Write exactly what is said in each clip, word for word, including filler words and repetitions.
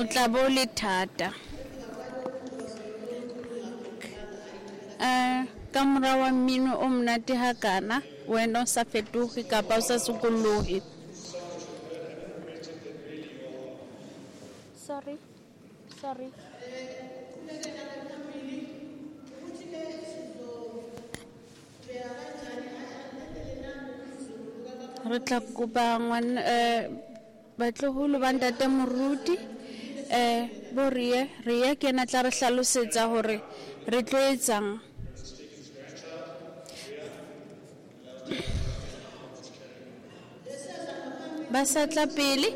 O tla bo le thata. Eh, ka mora wa mmino o monate hakana, wena o sa fetoge kapa o sa sokolohe. Sorry. Sorry. Re tla kopa ngwana eh batloholo ba ntate moruti eh bo rie rie ke na tla re hlalosetsa hore re tlo etsang. Ba sa tla pele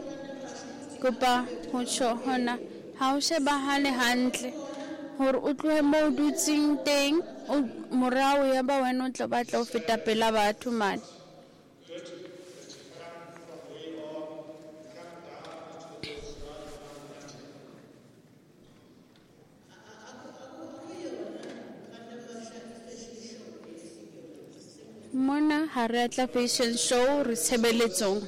kopa ho tjho hona ha o shebahale hantle hore o tlohe mo o dutseng teng o morao ya ba wena o tla batla ho feta pela batho mane. Mona ha re a tla fashion show re tshebeletsong.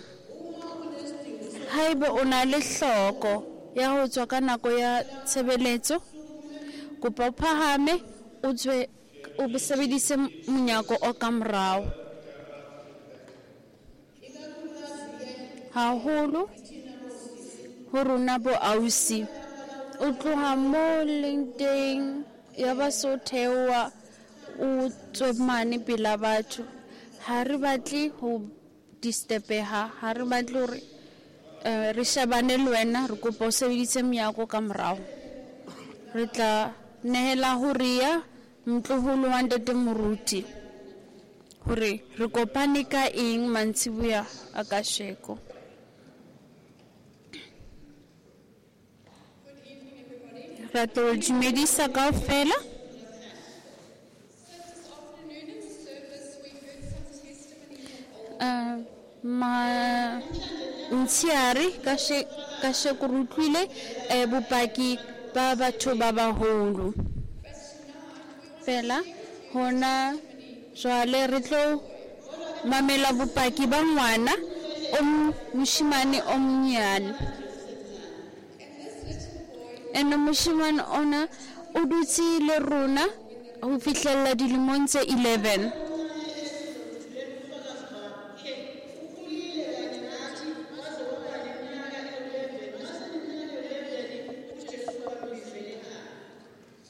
Haeba o na le hloko ya ho tswa ka nako ya tshebeletso, kopa o phahame o tswe o sebedise monyako o ka morao. Haholo ho rona bo ausi, o tloha mo leng teng ya ba so theoha o tswe mane pela batho. Ha re batle ho disturbeha, ha re batle hore eh re shebane le wena, re kopa o sebedise monyako ka morao. Re tla nehela ho ria motloholo wa ntate moruti hore re kopane ka eng mantsibuya a kasheko. Re tlo dumedisa kaofela. Uh, ma ntshiare ka she ka sheko re utlwile eh bopaki ba batho ba baholo. Fela hona jwale re tlo mamela bopaki ba ngwana o moshimane o monyane. Ene moshimane ona o dutse le rona ho fihlella dilemong tse eleven.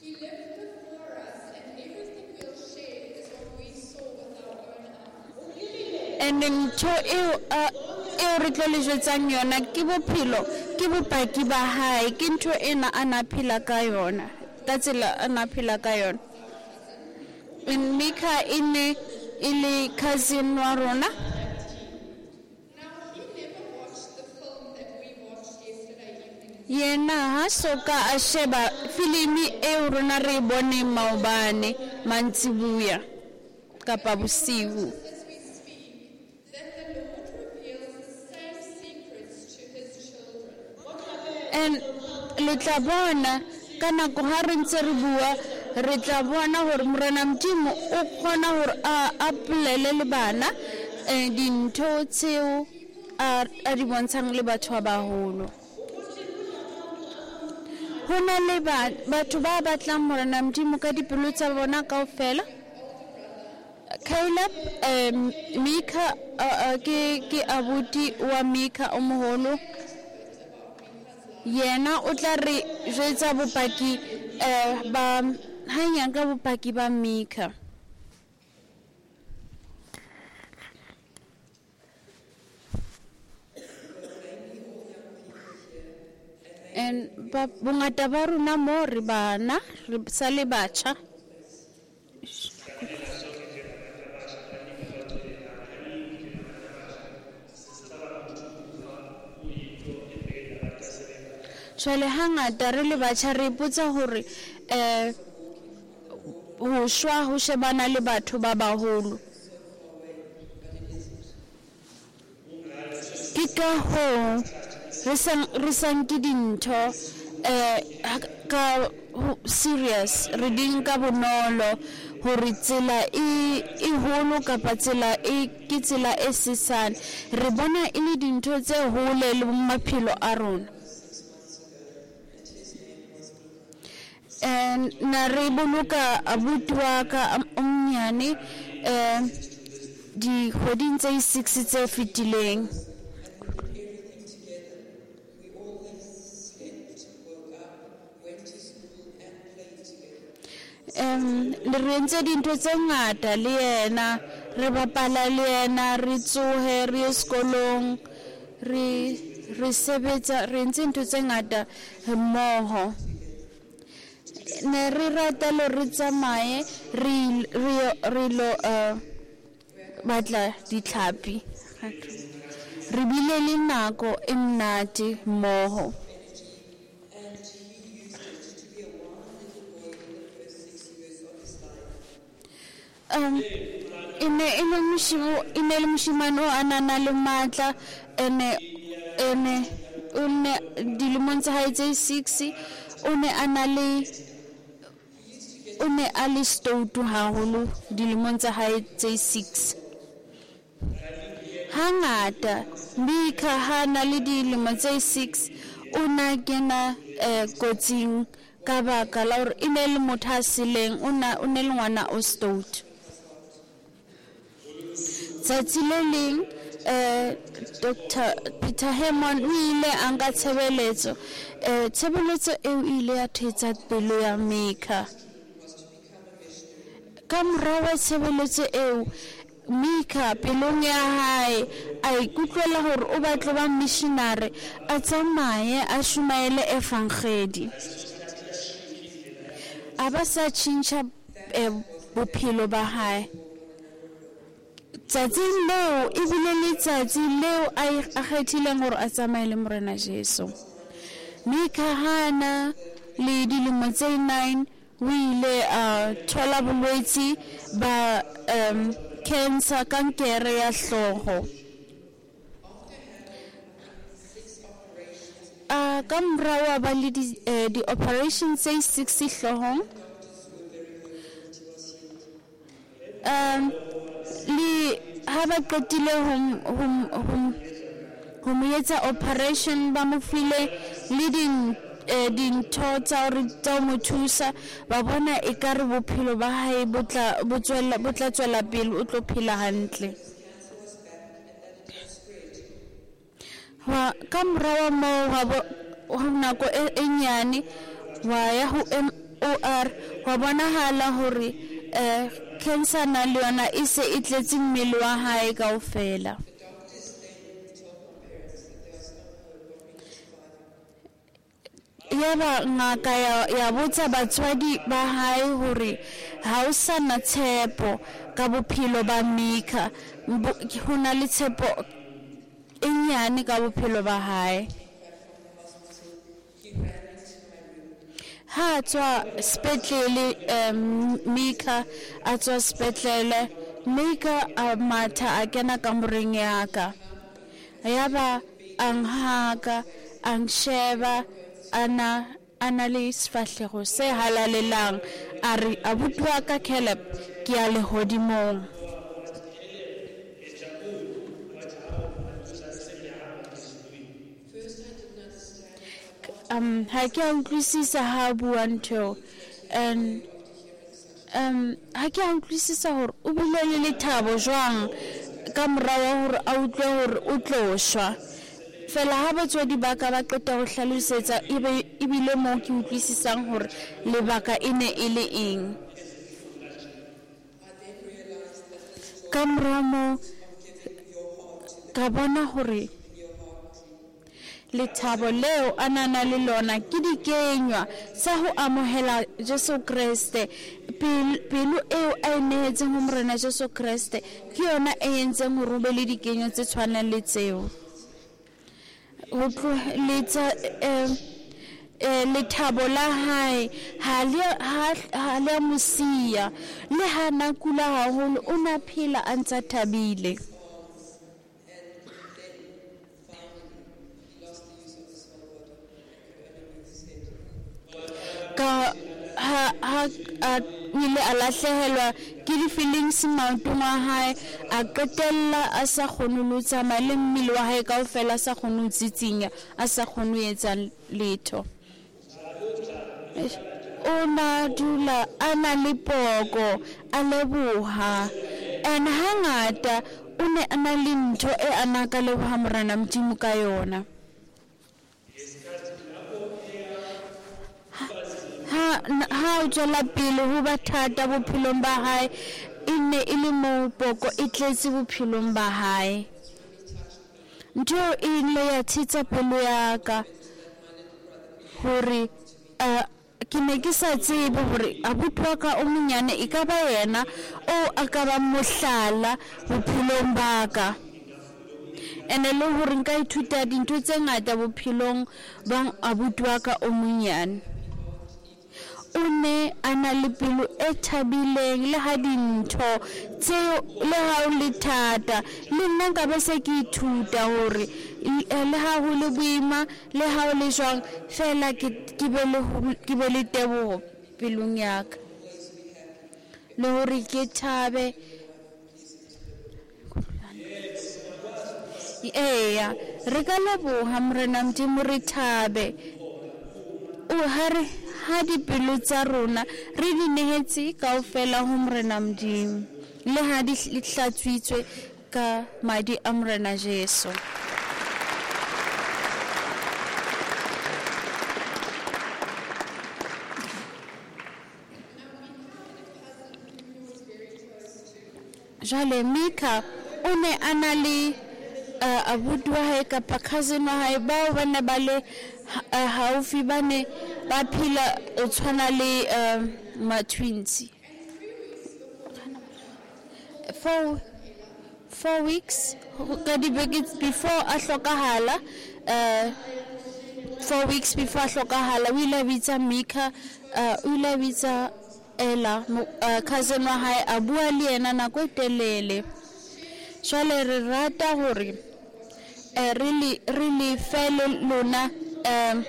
He lived before us, and everything we'll share is what we saw with our own eyes. Ene ntho eo a eo re tlo le jwetsang yona ke bophelo, ke bopaki ba hae, ke ntho ena a na phela ka yona, ka tsela a na phela ka yona. And Mika e ne e le cousin wa rona. Now, he never watched the film that we watched yesterday evening. Yena ha soka a sheba filimi eo rona re e boneng maobane mantsibuya kapa bosiu. As we speak, that the Lord reveals the same secrets to his children. And le tla bona ka nako ha re ntse re bua, re tla bona hore Morena Modimo o kgona hore a a polele le bana eh dintho tseo a a di bontshang le batho ba baholo. Ho na le ba batho ba batlang Morena Modimo ka dipelo tsa bona kaofela. Caleb eh Mika uh, ke ke abuti wa Mika o moholo. Yena o tla re jwetsa bopaki eh ba hanyang ka bopaki ba Mika. And ba bongata ba rona mo re bana re sa le batjha. Jwale hangata re le batjha re ipotsa hore eh ho shwa ho shebana le batho ba baholo. Ke ka hoo re sa re sa nke dintho eh ka serious, re di nka bonolo hore tsela e e holo kapa tsela e ke tsela e sesane. Re bona e le dintho tse hole le maphelo a rona. Na re boloka abuti wa ka o monyane um dikgweding tse six tse fetileng. Um le re entse dintho tse ngata le yena, re bapala le yena, re tsohe re ye sekolong, re re sebetsa, re entse ntho tse ngata mmoho. Ne re rata le re tsamaye re re re lo uh, batla ditlhapi. Re bile le nako e monate mmoho. Um e ne e le moshimo e ne le moshimane o a nang le matla, ene ene o ne dilemong tsa hae tse six o ne a na le o ne a le stoutu haholo dilemong tsa hae tse six. Hangata Mika ha na le dilemo tse six o na kena eh, kotsing ka baka la hore e ne le motho a seleng, o na o ne le ngwana o stout. Tsatsi le leng eh Doctor Peter Hammond o ile a nka tshebeletso, eh tshebeletso eo ile ya thetsa pelo ya Mika. Ka morao wa tshebeletso eo Mika pelong ya hae a ikutlwela hore o batla ba missionary, a tsamaye a shumaele evangeli. A ba sa tjhentjha bophelo ba hae. Tsatsing leo ebile letsatsi leo a kgethileng hore a tsamaye le Morena Jesu. Mika hana le dilemo tse nine o ile a thola bolwetsi ba um cancer, kankere ya hlooho. A ka morao a ba le di di-operation tse six hloohong. Um le ha ba qetile ho ho ho mo etsa operation, ba mo file le din dintho tsa hore tsa mo thusa, ba bona ekare bophelo ba hae bo tla bo tswela bo tla tswela pele, o tlo phela hantle. Wa ka morao moo wa ho nako e nyane wa ya ho M O R, wa bonahala hore eh cancer na le yona e se e tletse mmele wa hae kaofela. Yaba ngaka ya ya botsa batswadi ba hae hore ha o sa na tshepo ka bophelo ba Mika, ho na le tshepo e nyane ka bophelo ba hae. Ha tswa sepetlele um Mika a tswa sepetlele, Mika a matha a kena kamoreng ya ka. Yaba a nhaka a nsheba ana ana le sefahlego se halalelang, a re abuti wa ka Caleb ke ya lehodimong. Um ha ke a utlwisisa ha bua ntho, and um ha ke a utlwisisa hore o bile le lethabo jwang ka morao wa hore a utlwe hore o tlo shwa. Fela ha batswadi ba ka ba qeta ho hlalosetsa ebe ebile moo ke utlwisisang hore lebaka e ne e le eng. Ka morao moo ka bona hore lethabo leo a nana le lona ke dikenywa sa ho amohela Jesu Kreste. Pelo eo a e nehetseng ho Morena Jesu Kreste ke yona e entseng hore o be le dikenywa tse tshwanang le tseo. Ho tloheletsa lethabo la hae ha le ha le mo siya, le ha na kula haholo o na phela a ntsa thabile. Ka ha ha a ile a lahlehelwa ke di-feelings maotong a hae, a qetella a sa kgone ho tsamaya le mmele wa hae kaofela, a sa kgone ho tsitsinya, a sa kgone ho etsa letho. O na dula a na le poko, a leboha. And hangata o ne a na le ntho e a na ka leboha Morena Modimo ka yona. Ha ha o tswela pele ho ba thata bophelong ba hae, e ne e le moo poko e tletse bophelong ba hae. Ntho e ile ya thetsa pelo ya ka hore uh, ke ne ke sa tsebe hore abuti wa ka o monyane e ka ba yena o a ka ba mohlala bophelong ba ka. Ene le hore nka ithuta dintho tse ngata bophelong ba abuti wa ka o monyane. O ne a na le pelo e thabileng le ha dintho tseo le ha o le thata. Le nna nka be se ke ithuta hore le ha ho le boima le ha o le jwang fela ke ke be le ke be le teboho pelong ya ka, le hore ke thabe. Eya, re ka leboha Morena Modimo, re thabe. O ha re ha dipelo tsa rona re di nehetse kaofela ho Morena Modimo, le ha di hlatswitswe ka madi a Morena Jesu. Jwale Mika o ne a na le uh, abuti wa hae kapa cousin wa hae bao ba ne ba le uh, haufi, ba ne ba phela o tshwana le uh, ma-twins. Four, four weeks ka dibeke before a hlokahala, uh, four weeks before a hlokahala o ile a bitsa Mika, uh, o ile a bitsa Ella, uh, cousin wa hae, a bua le yena nako e telele. Jwale re rata hore eh, re le re le fe le lona um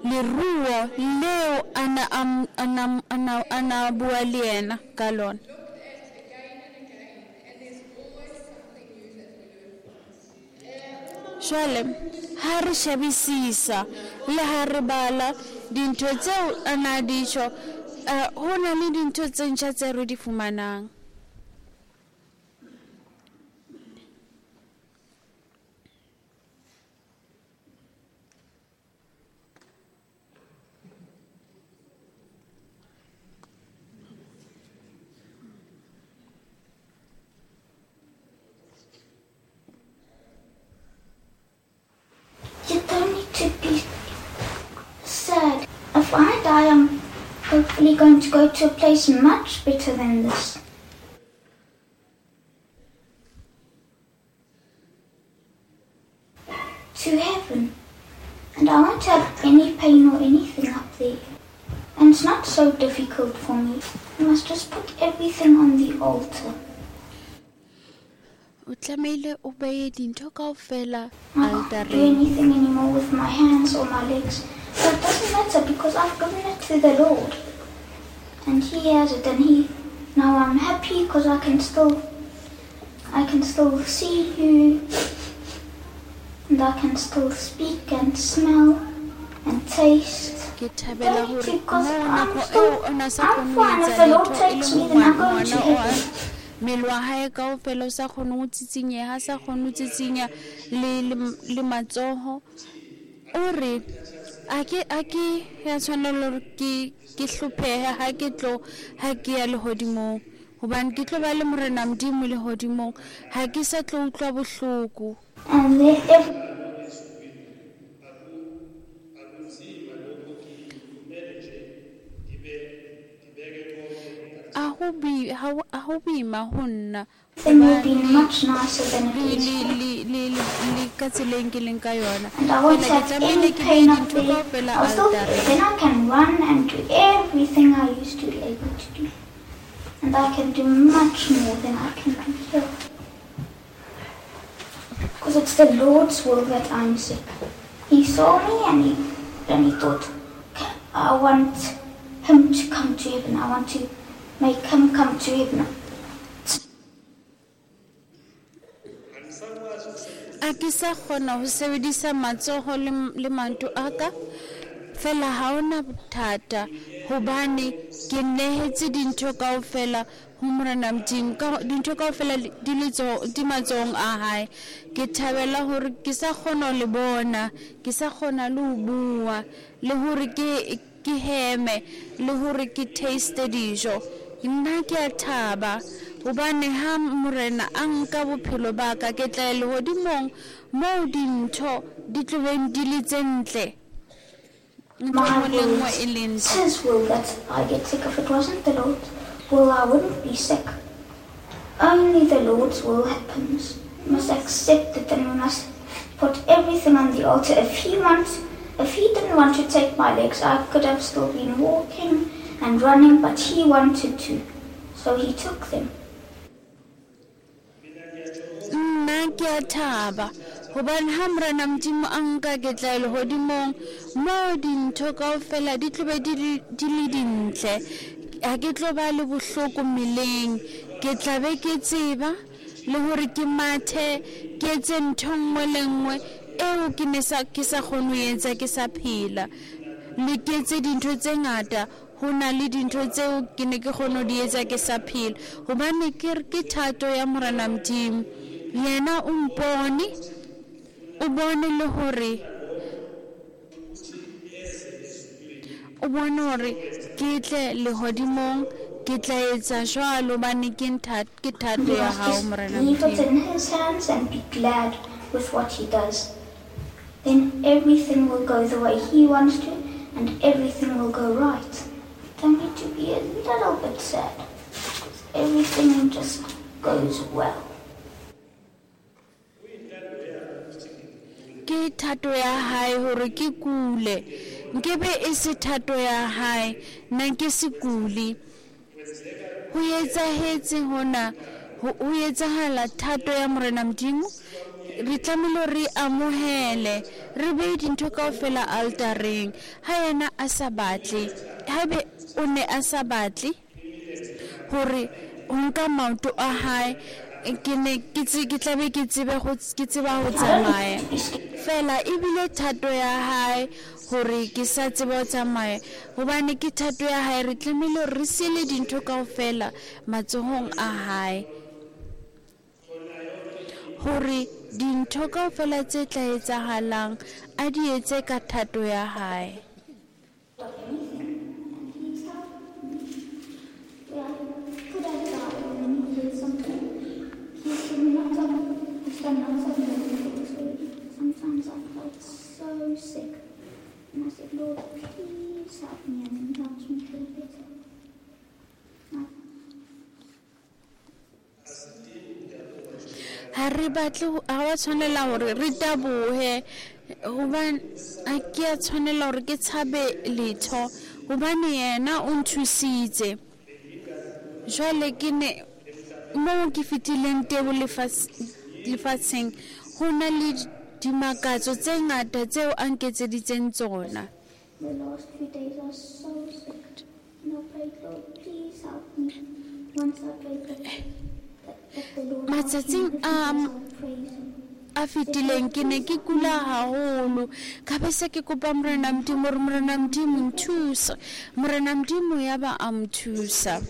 leruo leo ana ana ana ana bua le yena ka lona. Jwale ha re shebisisa le ha re bala dintho tseo a na di tjho, uh, ho na le dintho tse ntjha tse re di fumanang. You don't need to be sad. If I die, I'm hopefully going to go to a place much better than this. To heaven. And I won't have any pain or anything up there. And it's not so difficult for me. I must just put everything on the altar. O tlamehile o beye dintho kaofela I can't do altareng. anything anymore with my hands or my legs. But it doesn't matter because I've given it to the Lord. And He has it, and He now I'm happy because I can still I can still see you, and I can still speak and smell and taste. Ke thabela Don't need hore to because moo I'm nako still eo o na sa I'm kgone ho fine. If etsa the Lord letho e takes le me, then I go ngwana to o a heaven. mmele wa hae kaofela o sa kgone ho tsitsinyeha, a sa kgone ho tsitsinya le le le matsoho. O re a ke a ke ya tshwanela hore ke ke hlophehe ha ke tlo ha ke ya lehodimong, hobane ke tlo ba le Morena Modimo lehodimong, ha ke sa tlo utlwa bohloko. And then every A ho bi ha ho a ho boima ho nna thing will be hobane much nicer than it le is le here. le le le le ka tseleng ke leng ka yona. And I won't Fela ke have tlamehile any ke beye pain up dintho there. kaofela I'll still altareng. then I can run and do everything I used to be able to do. And I can do much more than I can do here. Because it's the Lord's will that I'm sick. He saw me and he and he thought, "Okay, I want him to come to heaven. I want to make him come to heaven." A ke sa kgona ho sebedisa matsoho le le maoto a ka. Fela ha hona bothata hobane ke nehetse dintho kaofela ho Morena Modimo, ka dintho kaofela di letsoho di matsohong a hae. Ke thabela hore ke sa kgona ho le bona, ke sa kgona le ho bua, le hore ke ke heme, le hore ke taste dijo. Nna ke a thaba hobane ha Morena a nka bophelo ba ka, ke tla ya lehodimong moo dintho di tlo beng di le tse ntle. Ntho My e nngwe le will nngwe e le is ntle. His will that I get sick. If it wasn't the Lord's will, I wouldn't be sick. Only the Lord's will happens. We must accept it and we must put everything on the altar. If he wants, if he didn't want to take my legs, I could have still been walking and running, but he wanted to, so he took them. Nna ke a thaba hobane ha Morena Modimo a nka, ke tla ya lehodimong moo dintho kaofela di tlo be di le di le dintle. Ha ke tlo ba le bohloko mmeleng, ke tla be ke tseba le hore ke mathe, ke etse ntho nngwe le nngwe eo ke ne sa ke sa kgone ho etsa ke sa phela. Le ke etse dintho tse ngata, ho na le dintho tseo ke ne ke kgone ho di etsa ke sa phela, hobane ke re ke thato ya Morena Modimo. Yena o mpone, o bone le hore o bone hore ke tle lehodimong, ke tla etsa jwalo hobane ke ntha ke thato We ya must hao just Morena leave it Modimo. in his hands and be glad with what he does. Then everything will go the way he wants to and everything will go right. Don't need to be a little bit sad, because everything just goes well. Ke thato ya hae hore ke kule, nkebe e se thato ya hae nna ke se kule. Ho etsahetse hona, ho ho etsahala thato ya Morena Modimo. Re tlamehile re amohele, re behe dintho kaofela altareng. Ha yena a sa batle, haebe o ne a sa batle hore ho nka maoto a hae, ke ne ke tse ke tlabe ke tsebe ho ke tseba ho I don't tsamaya. need to be scared. Fela ebile thato ya hae hore ke sa tseba ho tsamaya, hobane ke thato ya hae. Re tlamehile hore re siele dintho kaofela matsohong a hae, hore dintho kaofela tse tla etsahalang a di etse ka thato ya hae. Of anything. And he's helped me. Where I could have died and then he did something. He's done lots of, he's done lots of miracles already. Sometimes I felt so sick. And I said, Lord, please help me. And then he helps me feel better. I Ha re batle ho- ha wa tshwanela hore re tabohe, hobane ha ke a tshwanela hore ke tshabe letho, hobane yena o nthusitse. Jwale ke ne moo ke fetileng teng lefatshe lefatsheng, ho na le dimakatso tse ngata tseo a nketseditseng tsona. The last few days I was so sick. And I prayed, Lord, please help me. Once I prayed that, that, that the Lord helped me, Matsatsing the a few days I would praise him. a fetileng ke ne ke kula haholo, ka be se ke kopa Morena Modimo hore Morena Modimo nthusa. Morena Modimo ya ba a nthusa.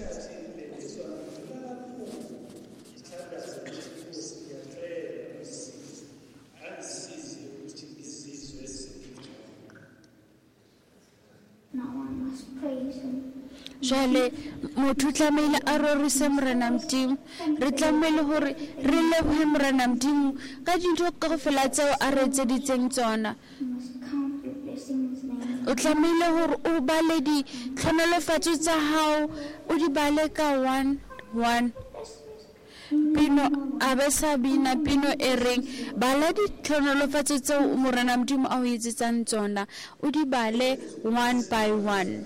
Now I must praise him. Jwale motho o tlamehile a rorise Morena Modimo. Re tlamehile hore re lebohe Morena Modimo ka dintho kaofela tseo a re etseditseng tsona. You must count your blessings, name. O tlamehile hore o bale ditlhonolofatso tsa hao, o di bale ka one one. Pino a be sa bina pino e reng bala ditlhonolofatso tseo Morena Modimo a o etsetsang tsona, o di bale one by one.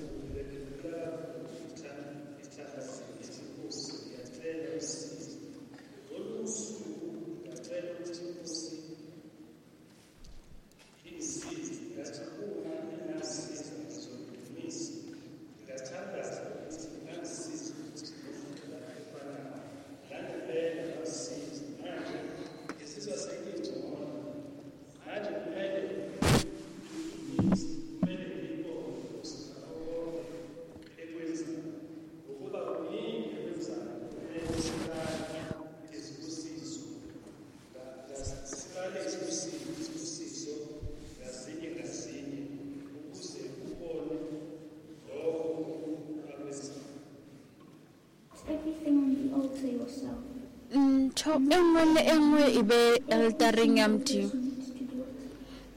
Ntho e nngwe le e nngwe e be altareng ya Modimo.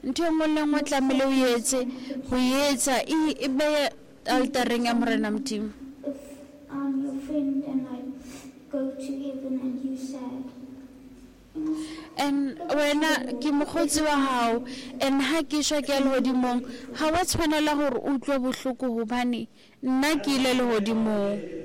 Ntho e nngwe le nngwe tlamehile o etse ho etsa e be altareng ya Morena Modimo. If I'm your friend and I go to heaven and you sad. And wena ke mokgotsi wa hao and ha ke shwa ke ya lehodimong ha wa tshwanela hore o utlwe bohloko hobane nna ke ile lehodimong.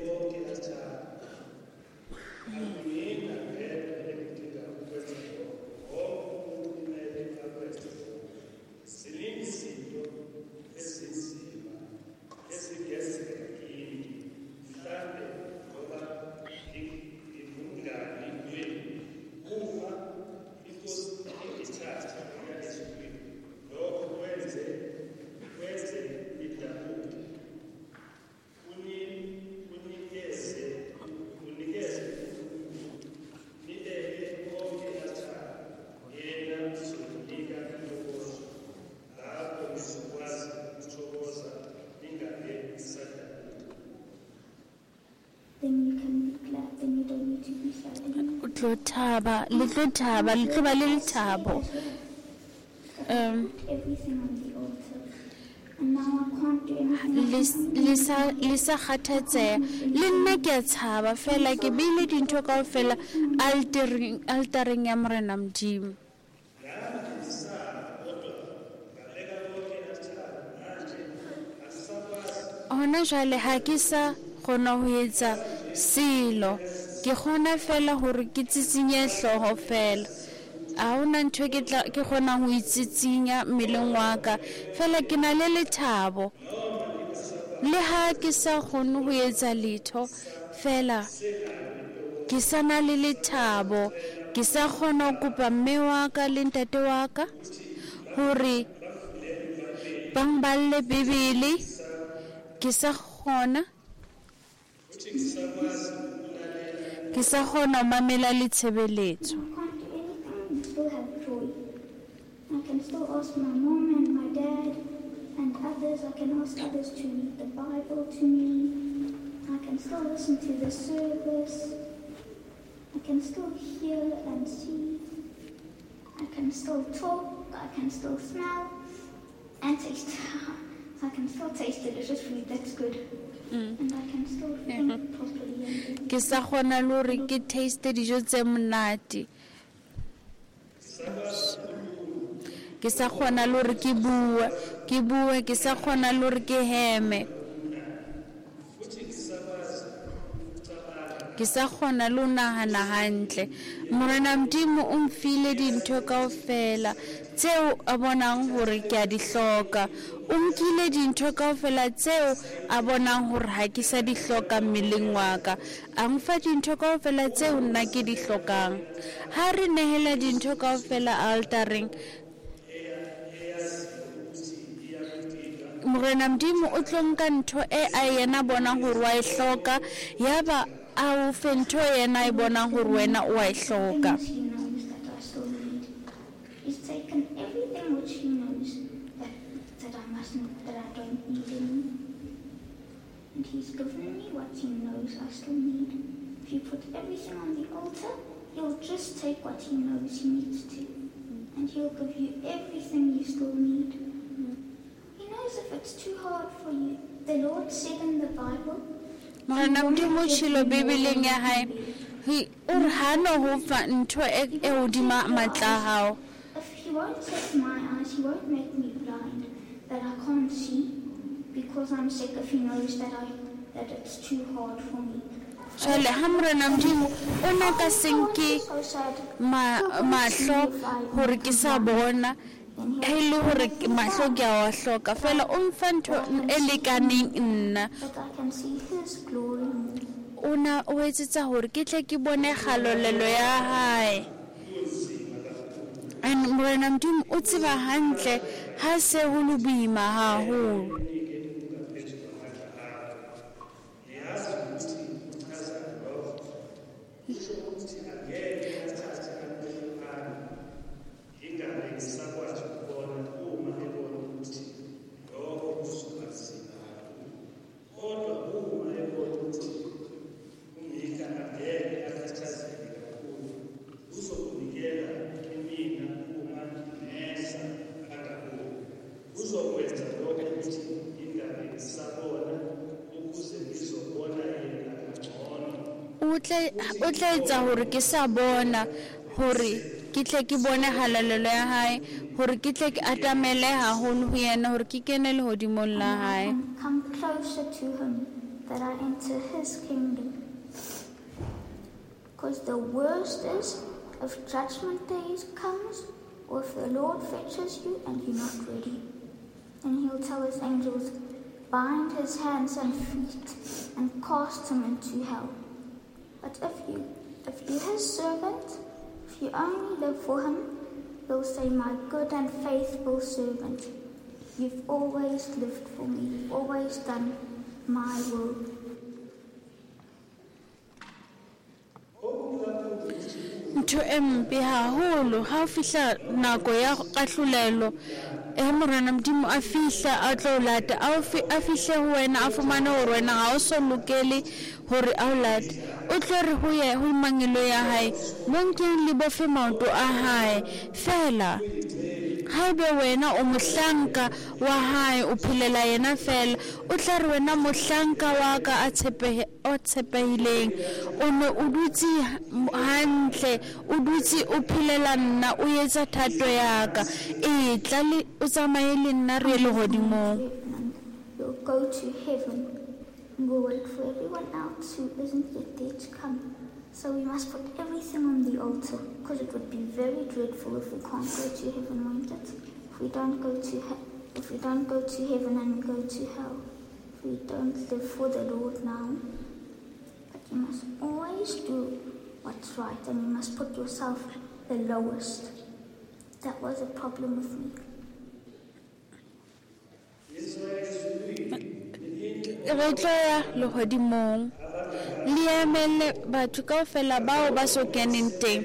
O tlo thaba, le tlo thaba, le tlo ba le lethabo. Um le sa le sa kgathatseha le nna ke a tshaba fela ke beile dintho kaofela altareng altareng ya Morena Modimo. Hona jwale ha ke sa kgona ho etsa selo, ke kgona fela hore ke tsitsinye hlooho fela. Ha hona ntho ke tla ke kgonang ho itsitsinya mmeleng wa ka fela ke na le lethabo. Le ha ke sa kgone ho etsa letho fela ke sa na le lethabo. Ke sa kgona ho kopa mme wa ka le ntate wa ka hore ba mballe Bibele. Ke sa kgona ke sa kgona ho mamela le tshebeletso. Still have joy. I can still ask my mom and my dad and others. I can ask others to read the Bible to me. I can still listen to the service. I can still hear and see. I can still talk. I can still smell and taste. I can still taste delicious food. That's good. Mm. And I can still think properly. And Ke sa kgona le hore ke taste dijo tse monate. Ke sa kgona le hore ke bue, ke bue, ke sa kgona le hore ke heme. Ke sa kgona le ho nahana hantle. Morena Modimo o mfile dintho kaofela tseo a bonang hore ke a di hloka. O nkile dintho kaofela tseo a bonang hore ha ke sa di hloka mmeleng wa ka. A mfa dintho kaofela tseo nna ke di hlokang. Ha re nehela dintho kaofela altareng, Morena Modimo o tlo nka ntho e a yena bonang hore wa e hloka, yaba a o fe ntho yena e bonang hore wena o a e hloka. Things he knows that I still need. He's taken everything which he knows that, that I mustn't, that I don't need anymore. And he's given me what he knows I still need. If you put everything on the altar, he'll just take what he knows he needs to. And he'll give you everything you still need. He knows if it's too hard for you. The Lord said in the Bible, Morena Modimo o tjhelo Bibeleng ya hae, he o re ha no ho fa ntho e e hodima matla a hao. If he won't take my eyes, he won't make me blind, that I can't see, because I'm sick, if he knows that I that it's too hard for me. Jwale ha Morena Modimo o na ka se nke So sad. ma mahlo hore ke sa bona, ha e le hore ke- mahlo ke a wa hloka fela o mfa ntho e lekaneng nna. That I can see his glory more. O na o etsetsa hore ke tle ke bone kgalolelo ya hae. And Morena Modimo o tseba hantle ha se ho le boima haholo. Kodwa uma ebona ukuthi umika angeke akhathazeke kakhulu. O tla o tla etsa hore ke sa bona hore ke tle ke bone halalelo ya hae, hore ke tle ke atamele haholo ho yena, hore ke kene lehodimong la And I hae. can come closer to him, that I enter his kingdom. Because the worst is if judgment day comes, or if the Lord fetches you and you're not ready. Then he'll tell his angels, bind his hands and feet and cast him into hell. But if you if you're his servant, if you only live for him, he'll say, my good and faithful servant, you've always lived for me, you've always done my will. Ntho e mpe haholo ha o fihla nako ya kahlolelo, e Morena Modimo a fihla a tlo o lata, a o fi- a fihle ho wena, a fumane hore wena ha o so lokele hore a o late. O tlo re ho ye ho mangelo ya hae, mo nkeng le bofe maoto a hae. Fela haebe wena o mohlanka wa hae, o phelela yena fela, o tla re wena mohlanka wa ka a tshepehe o tshepehileng, o ne o dutse hantle, o dutse o phelela nna, o etsa thato ya ka, e tla le o tsamaye le nna re ye lehodimong. And you'll go to heaven, and we'll wait for everyone else who isn't yet there to come. So we must put everything on the altar, because it would be very dreadful if we can't go to heaven, won't it? If we don't go to he- if we don't go to heaven and we go to hell, if we don't live for the Lord now. But you must always do what's right, and you must put yourself the lowest. That was a problem with me. Re tlo ya lehodimong, le emele batho kaofela bao ba so keneng teng.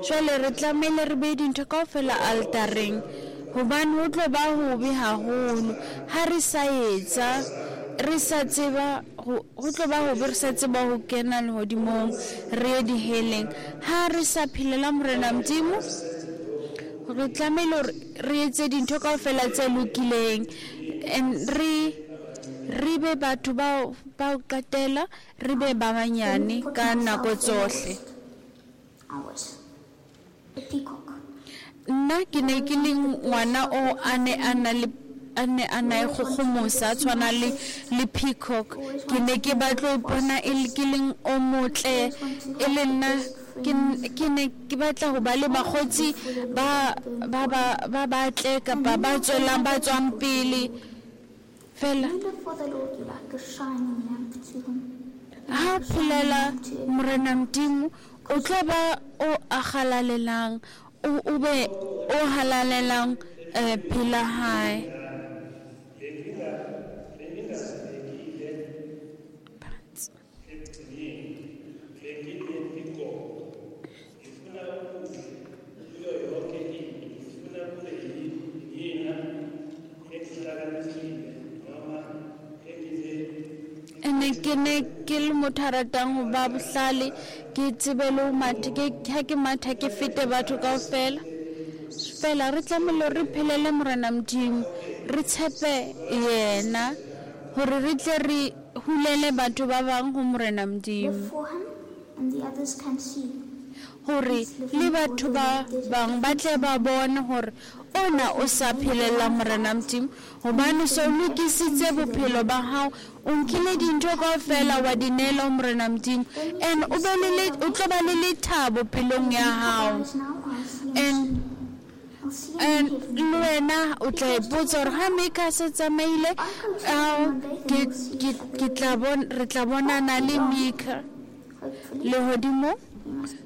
Jwale re tlamehile re behe dintho kaofela altareng, hobane ho tlo ba hobe haholo ha re sa etsa, re sa tseba ho ho tlo ba hobe re sa tseba ho kena lehodimong, re ye diheleng. Ha re sa phelela Morena Modimo, re tlamehile hore re etse dintho kaofela tse lokileng, and re re be batho bao ba ho qetela, re be ba banyane Didn't put ka nako myself the tsohle. lowest. I was a peacock. Nna ke ne ke le ngwana o a ne a na le a ne a na e kgokgomosa, a tshwana le le peacock. Ke ne ke batla ho ipona e le ke leng o motle, e le nna ke n- ke ne ke batla ho ba le bakgotsi ba ba ba ba batle kapa ba tswelang ba tswang pele fela. You live for the Lord, you're like a shining lamp to him. You're Ha like a shining phelela lamp to everyone. Morena Modimo, o tlo ba o a halalelang, o o be o halalelang eh pela hae. Ene ke ne ke le motho a ratang ho ba bohlale, ke tsebe le ho matha, ke ha ke matha ke fete batho kaofela. Fela re tlamehile re phelele Morena Modimo, re tshepe yena hore re tle re hulele batho ba bang ho Morena Modimo, Live for him, and the others can see. hore le batho ba bang ba tle ba bone hore ona o sa phelela Morena Modimo, hobane so lokisitse bophelo ba hao, o nkile dintho kaofela wa di neela ho Morena Modimo, and o be le le- o tlo ba le lethabo pelong ya hao. Guys, now I'll see him And soon. I'll see him and in heaven. le wena o tla ipotsa hore ha Mika a se tsamaile, ao, ke ke ke tla bon re tla bonana le Mika Hopefully, lehodimong. we must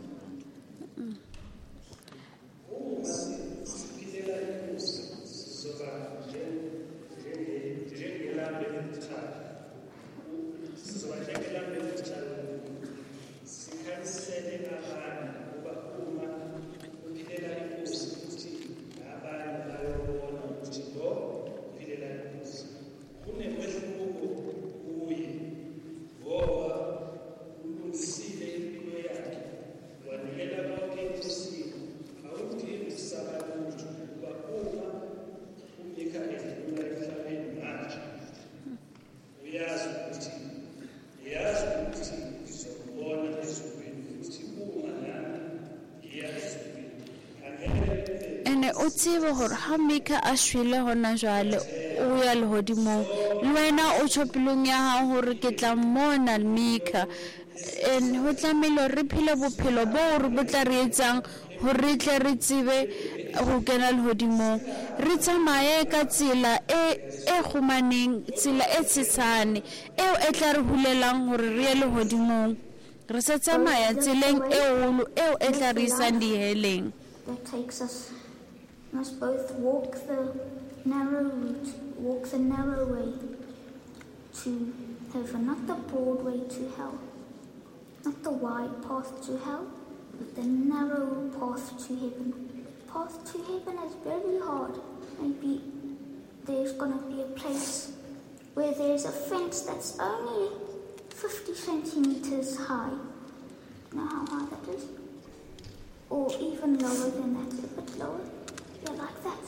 tsebe hore ha Mika a shwele hona jwale o ya lehodimong, le wena o tjho pelong ya hao hore ke tla mmona Mika. And ho tlamehile hore re phele bophelo bo re bo tla re etsang hore re tle re tsebe ho kena lehodimong. Re tsamaye ka tsela e e kgumaneng, tsela e tshesane eo e tla re hulelang hore re ye lehodimong. Re sa tsamaya tseleng e holo eo e tla re isang diheleng. That takes us, must both walk the narrow route, walk the narrow way to heaven, not the broad way to hell, not the wide path to hell, but the narrow path to heaven. The path to heaven is very hard. Maybe there's gonna be a place where there's a fence that's only fifty centimeters high. You know how high that is? Or even lower than that, a bit lower. Yeah, like that.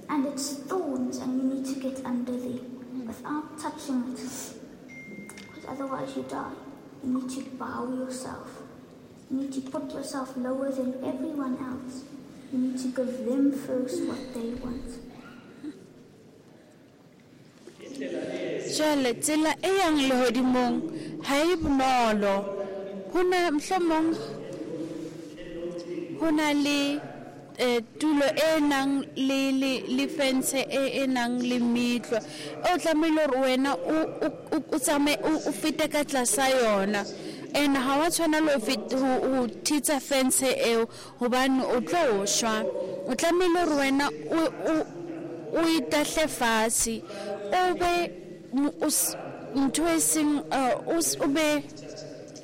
And it's thorns, and you need to get under there without touching it, because otherwise you die. You need to bow yourself. You need to put yourself lower than everyone else. You need to give them first what they want. Jwale tsela e yang lehodimong ha e bonolo. Ho na mohlomong ho na le eh, tulo e nang le le le fence e e nang le metlwa. O tlamehile hore wena o o o tsamaye o fete ka tlasa yona. And ha wa tshwanela ho feta ho thitsa fence eo hobane o tlo shwa. O tlamehile hore wena o o o itahle fatshe, o be ntho e seng o be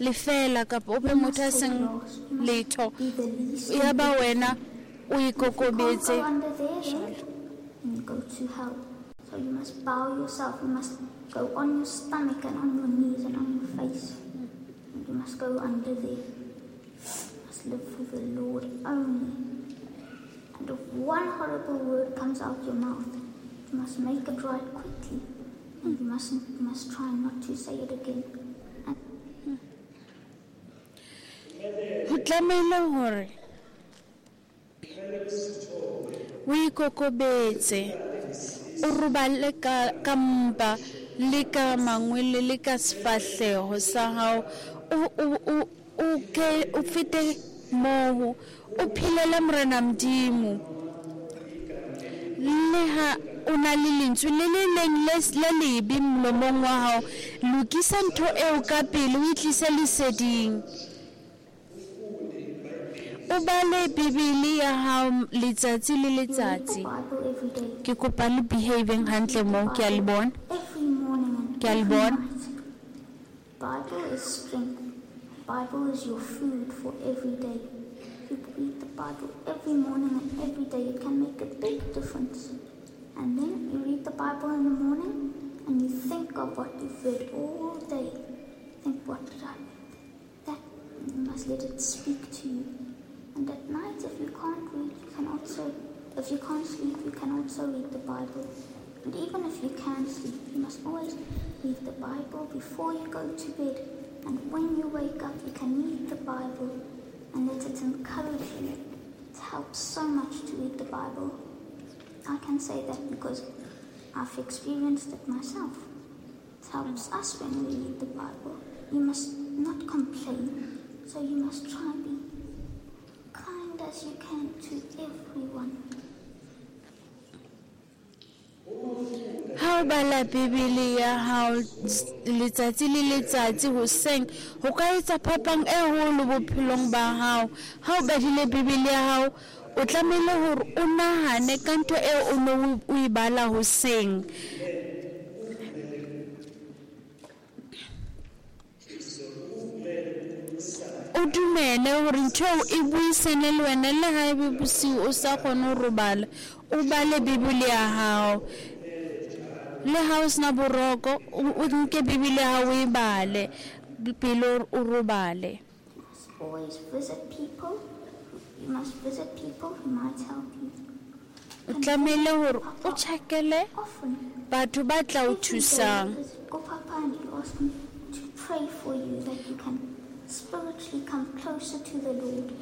lefela kapa o be motho a seng letho. Ya ba wena o ikokobetse. You go to hell. So you must bow yourself. You must go on your stomach and on your knees and on your face. And you must go under there. You must live for the Lord only. And if one horrible word comes out your mouth, you must make it right quickly. And you mustn't, you must try not to say it again. Ho tlamehile hore o ikokobetse, o robale ka ka mpa le ka mangwele le ka sefahleho sa hao, o o o ke o fete moo, o phelele Morena Modimo. Le ha o na le lentswe le le leng le lebe molomong wa hao, lokisa ntho eo ka pele, o itlise leseding. O bale Bibele ya hao letsatsi le letsatsi. Ke kopa le behaving hantle mo, ke a le bona. Ke a le bona. Bible is strength. Bible is your food for every day. You read the Bible every morning and every day. It can make a big difference. And then you read the Bible in the morning and you think of what you've read all day. Think, what did I read? That, you must let it speak to you. And at night, if you can't read, you can also, if you can't sleep, you can also read the Bible. And even if you can sleep, you must always read the Bible before you go to bed. And when you wake up, you can read the Bible and let it encourage you. It helps so much to read the Bible. I can say that because I've experienced it myself. It helps us when we read the Bible. You must not complain, so you must try and be kind as you can to everyone. Ha o bala Bibele ya hao letsatsi le letsatsi hoseng, ho ka etsa phapang e holo bophelong ba hao. Ha o badile Bibele ya hao, o tlamehile hore o nahane ka ntho eo o no o e bala hoseng. O dumele hore ntho eo e buisane le wena, le ha ebe bosiu o sa kgone ho robala, o bale Bibele ya hao. Le ha o sena boroko, o nke Bibele ya hao o e bale pele o robale. Always visit people. You must visit people who might help you. O tlamehile hore o tjhakele batho ba tla o thusang. Go Papa and you ask him to pray for you that you can spiritually come closer to the Lord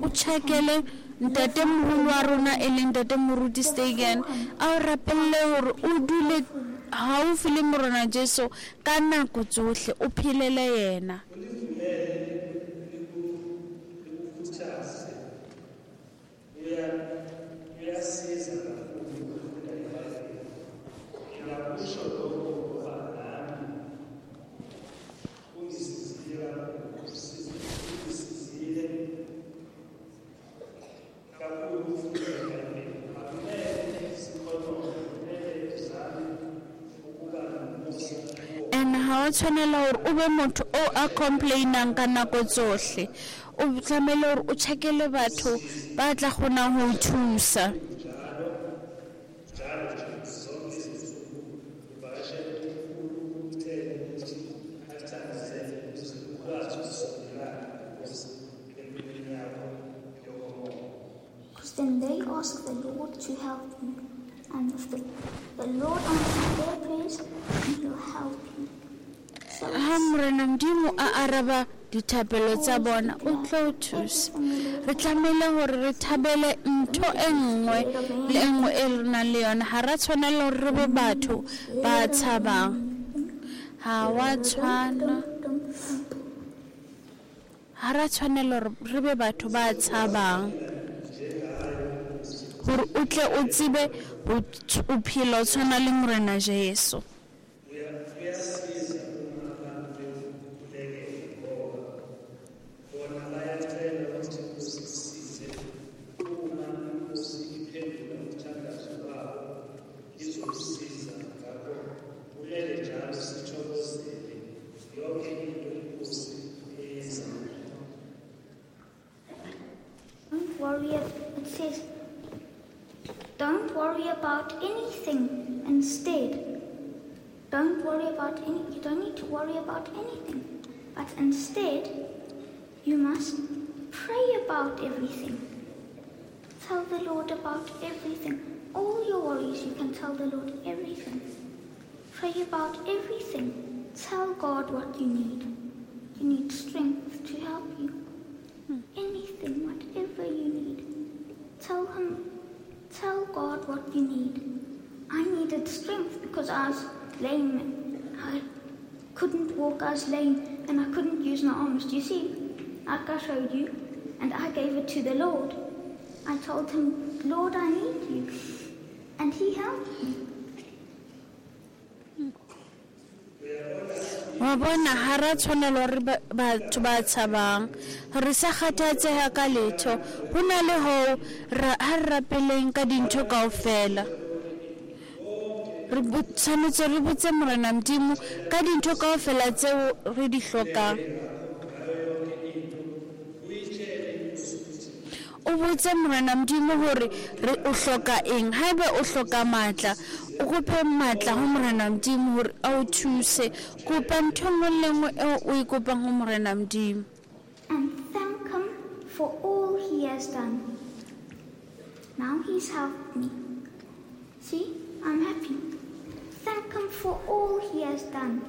o tjhakele ntate moholo wa rona e leng ntate Moruti Stegen, a o rapelle hore o dule haufi le Morena Jesu ka nako tsohle, o phelele yena. And ha o tshwanela hore o be motho o a complainang ka nako tsohle, o tlamehile hore o tjhakele batho ba tla kgonang ho o thusa. Because then they ask the Lord to help you. And if the, the Lord answers their prayers, then he'll help you. So Ha Morena Modimo a araba dithapelo tsa bona, o tlo o thusa. Re tlamehile hore re thabele ntho e nngwe le e nngwe e re nang le yona. Ha ra tshwanela hore re be batho ba tshabang. Ha wa tshwana, ha ra tshwanela hore re be batho ba tshabang, hore o tle o tsebe ho o phela o tshwana le Morena Jesu. Don't worry, it says, don't worry about anything. Instead, don't worry about any, you don't need to worry about anything. But instead, you must pray about everything. Tell the Lord about everything. All your worries, you can tell the Lord everything. Pray about everything. Tell God what you need. You need strength to help you. Anything, whatever you need. Tell him, tell God what you need. I needed strength because I was lame. I couldn't walk, I was lame, and I couldn't use my arms. Do you see? Like I showed you, and I gave it to the Lord. I told him, Lord, I need you. And he helped me. Wa bona ha ra tshwanela hore batho ba tshabang, re sa kgathatseha ka letho. Ho na le hoo ha re rapeleng ka dintho kaofela. Re tshwanetse re botse Morena Modimo ka dintho kaofela tseo re di hlokang. O botse Morena Modimo hore re o hloka eng. Haeba o hloka matla, o kope matla ho Morena Modimo hore a o thuse. Kopa ntho nngwe le nngwe eo o e kopang ho Morena Modimo. And thank him for all he has done. Now he's helped me. See, I'm happy. Thank him for all he has done.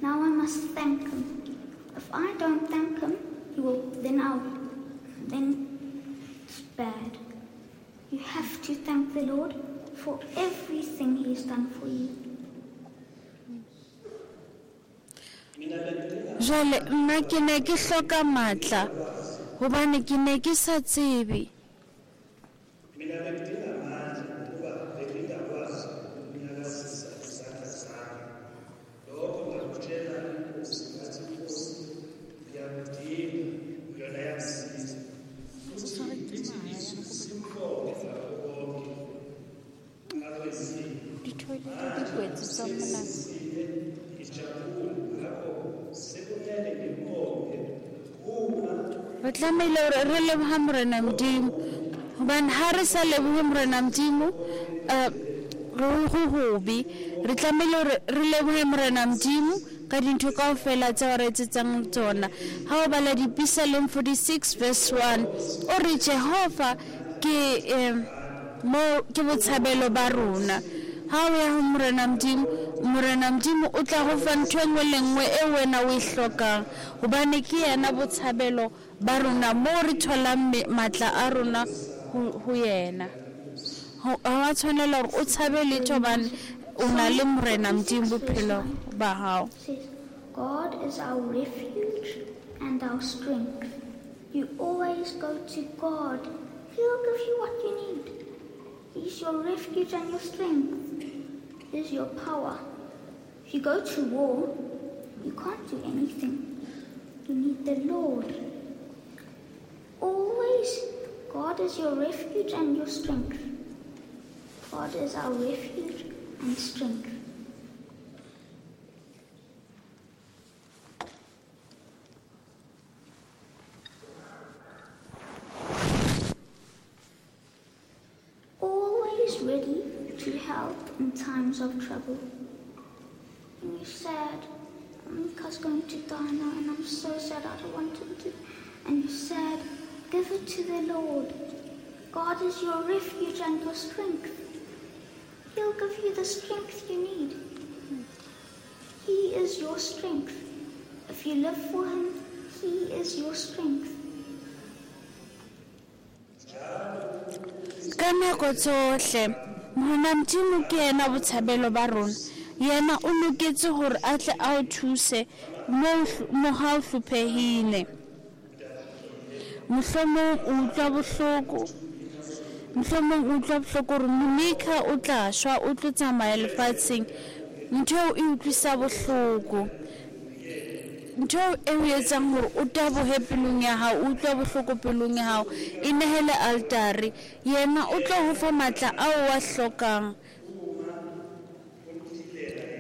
Now I must thank him. If I don't thank him, he will then I'll then it's bad. You have to thank the Lord for everything he's done for you. Jwale nna ke ne ke hloka matla hobane ke ne ke sa tsebe. Re tlamehile hore re leboha Morena Modimo, hobane ha re sa lebohe Morena Modimo, re ho hobe. Re tlamehile hore re lebohe Morena Modimo ka dintho kaofela tseo re etsetsang tsona. Ha o bala Dipisaleng forty-six verse one, o re Jehova ke mo ke botshabelo ba rona. Ha o ya ho Morena Modimo, Morena Modimo o tla go fa ntho e nngwe le nngwe e wena o e hlokang, hobane ke yena botshabelo ba rona mo re tholang matla a rona ho yena. Ha wa tshwanela hore o tshabe letho hobane o na le Morena Modimo bophelo ba hao. God is our refuge and our strength. You always go to God. He'll give you what you need. He's your refuge and your strength. He's your power. If you go to war, you can't do anything. You need the Lord. Always, God is your refuge and your strength. God is our refuge and strength. Always ready to help in times of trouble. When you're sad, Mika's going to die now and I'm so sad, I don't want him to. And you're sad, give it to the Lord. God is your refuge and your strength. He'll give you the strength you need. He is your strength. If you live for him, he is your strength. Ka nako tsohle Morena Modimo ke yena botshabelo ba rona. Yena o loketse hore a tle a o thuse mo mo ha o hlophehile. Mohlomong o utlwa bohloko, mohlomong o utlwa bohloko hore Monica o tla shwa, o tlo tsamaya lefatsheng. Ntho eo e utlwisa bohloko, ntho eo e o etsang hore o tabohe pelong ya hao, o utlwa bohloko pelong ya hao, e nehele altare. Yena o tlo ho fa matla ao wa hlokang.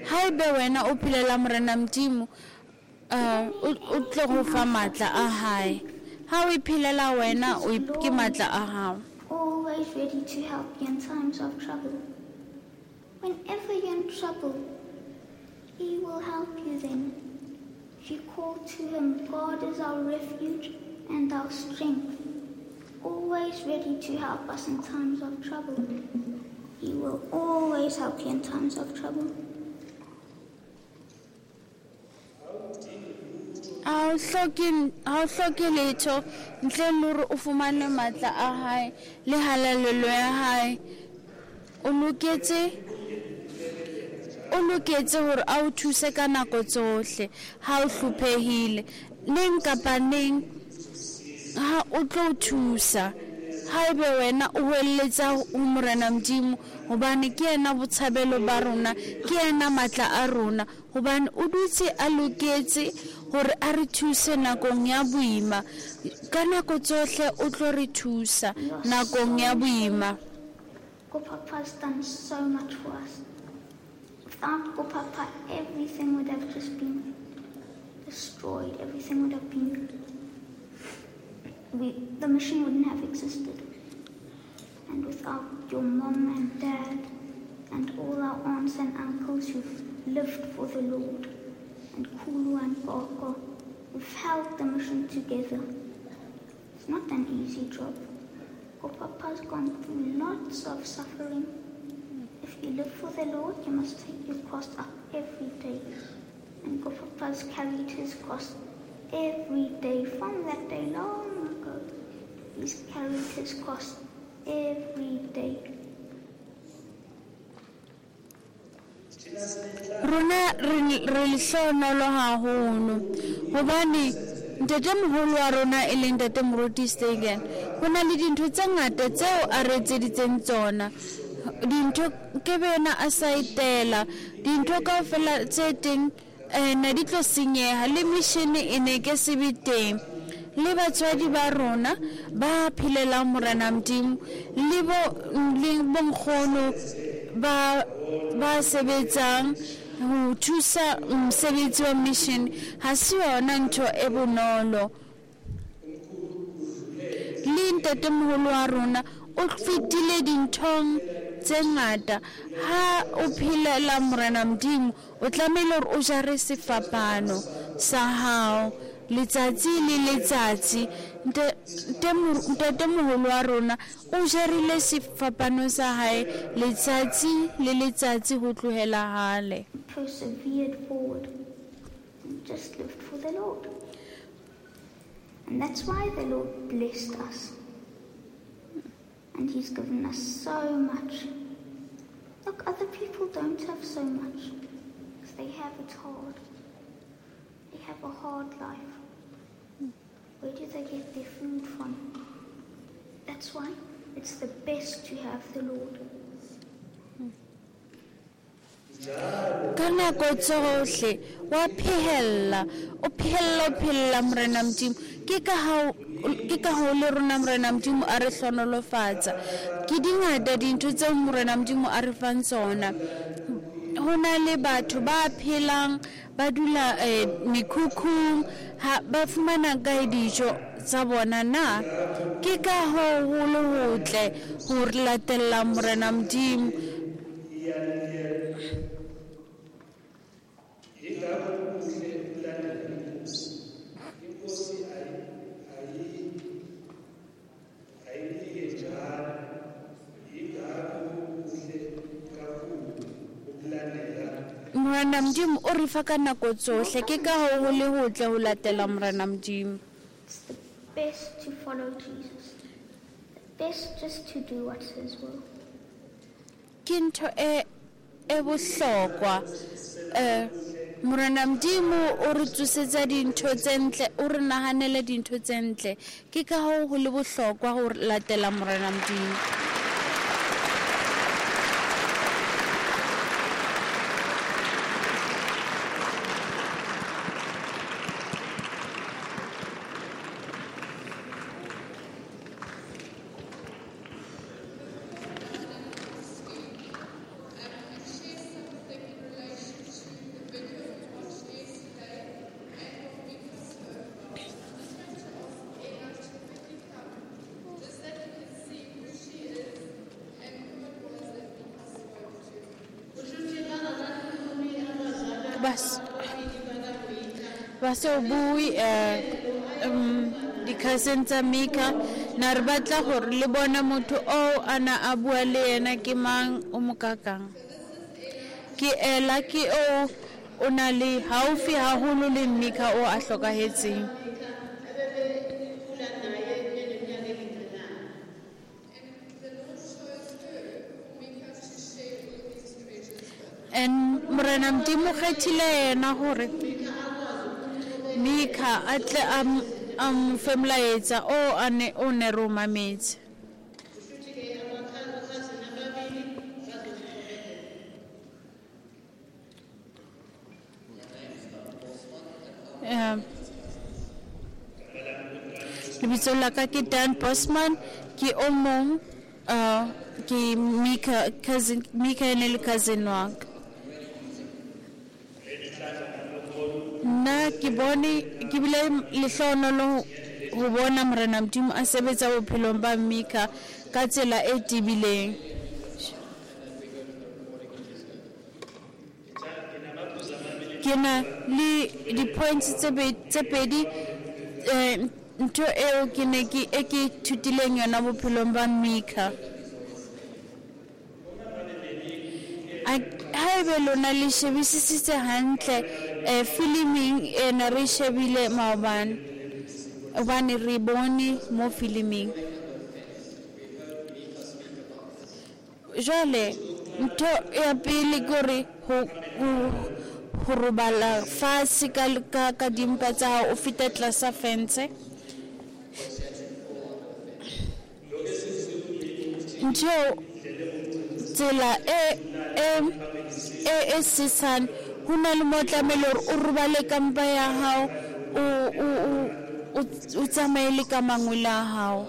Haebe wena o phelela Morena Modimo, o tlo ho fa matla a hae. Ha o iphelela wena, o ke matla a hao. Always ready to help you in times of trouble. Whenever you're in trouble, he will help you then. If you call to him, God is our refuge and our strength. Always ready to help us in times of trouble. He will always help you in times of trouble. Ha o hloke, ha o hloke letho ntle le hore o fumane matla a hae le halalelo ya hae. O loketse, o loketse hore a o thuse ka nako tsohle ha o hlophehile. Neng kapa neng ha o tlo o thusa. Haebe wena o hweletsa ho Morena Modimo, hobane ke yena botshabelo ba rona, ke yena matla a rona, hobane o dutse a loketse hore a re thuse nakong ya boima. Ka nako tsohle o tlo re thusa nakong ya boima. Papa's done so much for us. Without Papa, everything would have just been destroyed. Everything would have been... We, the mission wouldn't have existed. And without your mom and dad and all our aunts and uncles who've lived for the Lord, and Kulu and Gogo, who've held the mission together. It's not an easy job. Papa's gone through lots of suffering. If you live for the Lord, you must take your cross up every day. And Papa's carried his cross every day from that day long ago. He's carried his cross every day. Rona re lehlohonolo haholo hobane ntatemoholo wa rona e leng Ntate Moruti Stegen, ho na le dintho tse ngata tseo a re etseditseng tsona. Dintho ke bena a sa itela, dintho kaofela tse teng ne di tlo senyeha, le mission e ne ke se be teng. Le batswadi ba rona ba phelelang Morena Modimo, le bo le bonkgono ba ba sebetsang ho thusa mosebetsi wa mission, ha se yona ntho e bonolo. Le ntatemoholo wa rona o fetile dinthong tse ngata. Ha o phelela Morena Modimo, o tlamehile hore o jare sefapano sa hao letsatsi le letsatsi. Ntatemoholo wa rona o jarile sefapano sa hae letsatsi le letsatsi ho tlohela hale. persevered forward and just lived for the Lord. And that's why the Lord blessed us. And He's given us so much. Look, other people don't have so much, because they have it hard. They have a hard life. Where do they get their food from? That's why it's the best to have the Lord. Ka nako tsohle wa phehella, o phehella, o phehella Morena Modimo. Ke ka hao, ke ka hao le rona Morena Modimo a re hlonolofatsa. Ke dingata dintho tseo Morena Modimo a re fang tsona. Ho na le batho ba phelang ba dula eh, mekhukhung, ha ba fumana kae dijo tsa bona na? Ke ka hoo ho le hotle ho re latella Morena Modimo. Morena Modimo o re fa ka nako tsohle, ke ka hoo ho le hotle ho latela Morena Modimo. It's the best to follow Jesus. The best just to do what's His will. Ke ntho e e bohlokwa. Eh, Morena Modimo o re tsosetsa dintho tse ntle, o re nahanele dintho tse ntle. Ke ka hoo ho le bohlokwa ho latela Morena Modimo. Bas ba se bue eh um di-cousin tsa Mika, na re batla hore le bona motho oo a na a bua le yena ke mang, o mo kakang. Ke Ella, ke o o na le haufi haholo le Mika o a hlokahetseng. And Morena Modimo kgethile yena hore Mika a tle a m- a mo fe molaetsa o a ne o ne re o mametse. Eh, lebitso la ka ke Dan Bosman, ke o mong uh, ke Mika cousin, Mika e ne le cousin wa ka. Nna ke bone, ke bile lehlohonolo ho bona Morena Modimo a sebetsa bophelong ba Mika ka tsela e tebileng. Ke na le di-points tse be- tse pedi, eh, ntho eo ke ne ke e ke ithutileng yona bophelong ba Mika. A- Haebe lona le shebisisitse hantle eh, filiming ena re shebile maobane, hobane re bone mo filiming. Jwale ntho ya pele ke hore ho ho ho robala fatshe ka ka ka dimpa tsa hao, o feta tlasa fence. Ntho tsela e e e e sesane, ho na le mo tlamehile hore o robale ka mpa ya hao, o o o o tsamaye le ka mangwele a hao.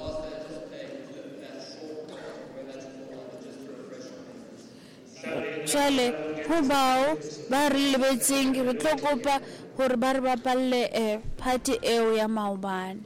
Jwale ho bao ba re lebetseng, re tlo kopa hore ba re bapalle eh, party eo ya maobane.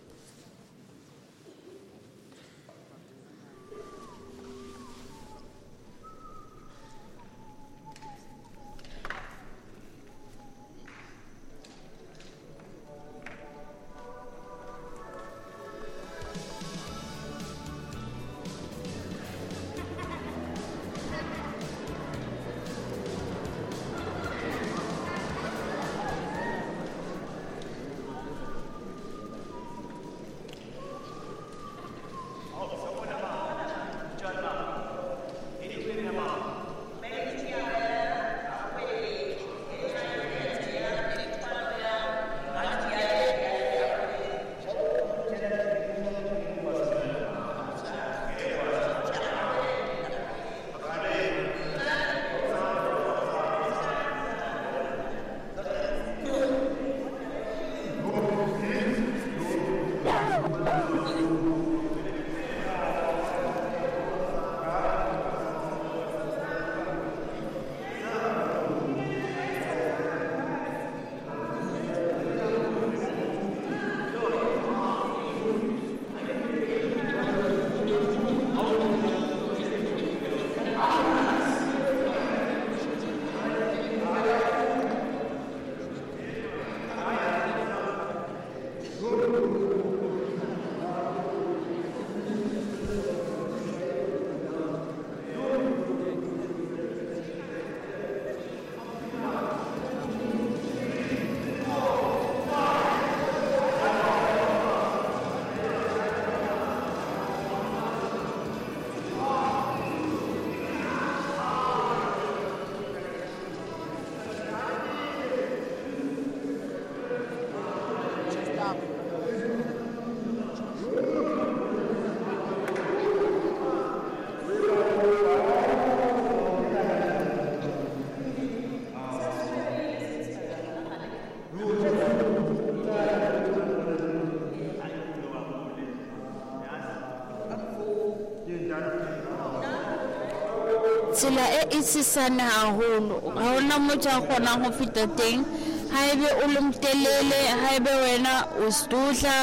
Tsela e e sesane haholo, ha hona motho a kgonang ho feta teng. Haebe o le motelele, haebe wena o setotla.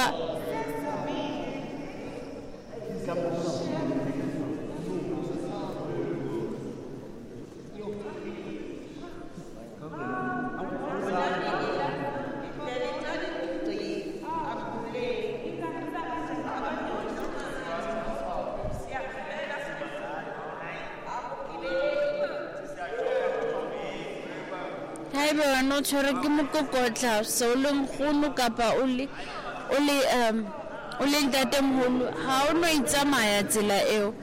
Haebe wena o tshwerwe ke mokokotla, se o le nkgono kapa o le o le um o le ntatemoholo, ha o no itsamaya tsela eo.